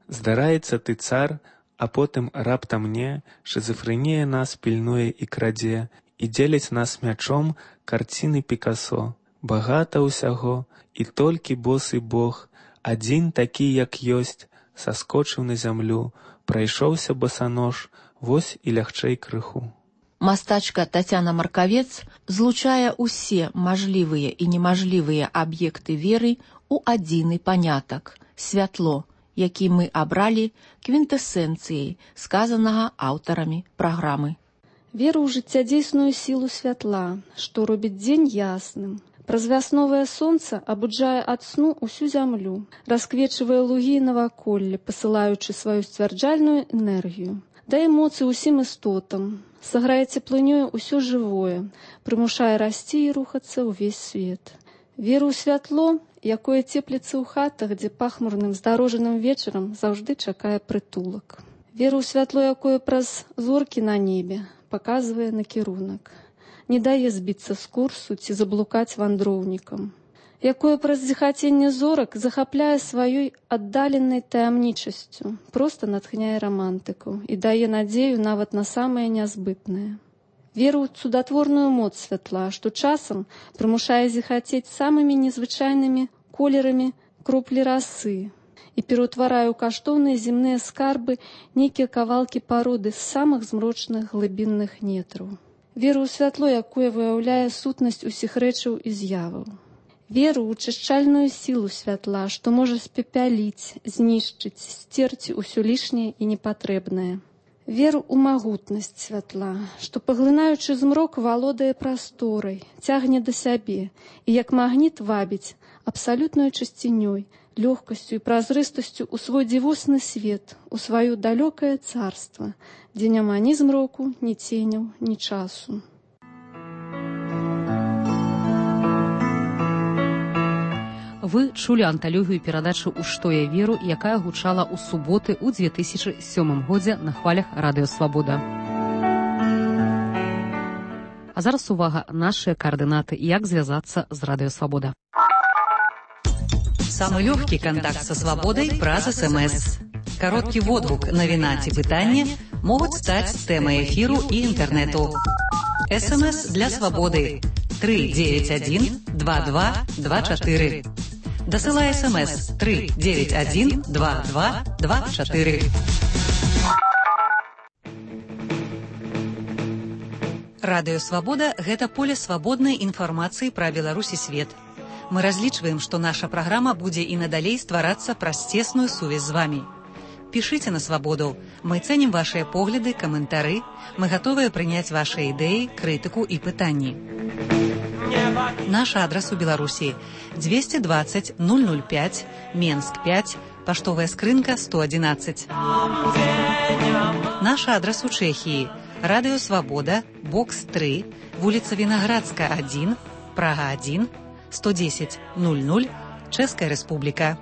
Здараецца ты цар, а потым раптам мне, шызафрэнія нас пільнуе і крадзе, і дзеляць нас мячом карціны Пікасо. Багата ўсяго, і толькі босы Бог, адзін такі, як ёсць, саскочыў на зямлю, прайшоўся босанож, вось і лягчэй крыху. Мастачка Тацяна Маркавец злучае ўсе мажлівыя і немажлівыя аб'екты веры ў адзіны панятак – святло, які мы абралі квінтэсэнцыяй сказанага аўтарамі праграмы. Веру ў жыццядзейсную сілу святла, што робіць дзень ясным. Праз вясновае сонца абуджае ад сну усю зямлю, расквечвае лугі і наваколле, пасылаючы сваю сцвярджальную энергію. Дае моцы ўсім істотам, саграе цеплынёю ўсё жывое, прымушае расці і рухацца ўвесь свет. Веру ў святло, якое цепліцца ў хатах, дзе пахмурным здарожаным вечарам заўжды чакае прытулак. Веру ў святло, якое праз зоркі на небе паказвае накірунак. Не дае збіцца з курсу ці заблукаць вандроўнікам, якое праз зіхаценне зорак захапляе сваёй аддаленай таямнічасцю, проста натхняе рамантыкаў і дае надзею нават на самае нязбытнае. Веру ў цудатворную моц святла, што часам прымушае зіхацець самымі незвычайнымі колерамі кроплі расы і пераўтварае ў каштоўныя земныя скарбы нейкія кавалкі пароды з самых змрочных глыбінных нетраў. Веру ў святло, якое выяўляе сутнасць усіх рэчаў і з'яваў. Веру ў чышчальную сілу святла, што можа спепяліць, знішчыць, сцерці ўсё лішняе і непатрэбнае. Веру ў магутнасць святла, што, паглынаючы змрок, валодае прасторай, цягне да сябе і, як магніт, вабіць абсалютнаю чысцінёй, лёгкасцю і празрыстасцю ў свой дзівосны свет, у сваё далёкае царства, дзе няма ні змроку, ні ценяў, ні часу. Вы чулі анталогію перадачы «У што я веру», якая гучала ў суботы ў две тысячы сёмым годзе на хвалях Радыё Свабода. А зараз увага, нашыя координаты, як звязацца з Радыё Свабода. Самый легкий контакт со свободой праз СМС. Короткий водгук, навіна ці пытанне могуць стаць тэмай эфіру і інтэрнэту. СМС для свободы три девять один два два два четыре. Дасылай СМС три девять один два два два четыре. Радыё Свабода – гэта поле свабоднай інфармацыі пра Беларусь і свет. Мы разлічваем, што наша праграма будзе і надалей стварацца праз цесную сувязь з вамі. Пішыце на свабоду. Мы цэнім вашыя погляды, каментары. Мы гатовыя прыняць вашыя ідэі, крытыку і пытанні. Наш адрас у Беларусі двести двадцать ноль ноль пять, Менск пять, паштовая скрынка сто одиннадцать. Наш адрас у Чэхіі Радыё Свабода, бокс три, вуліца Вінаградска один, Прага один, сто десять ноль ноль, Чэшская Рэспубліка.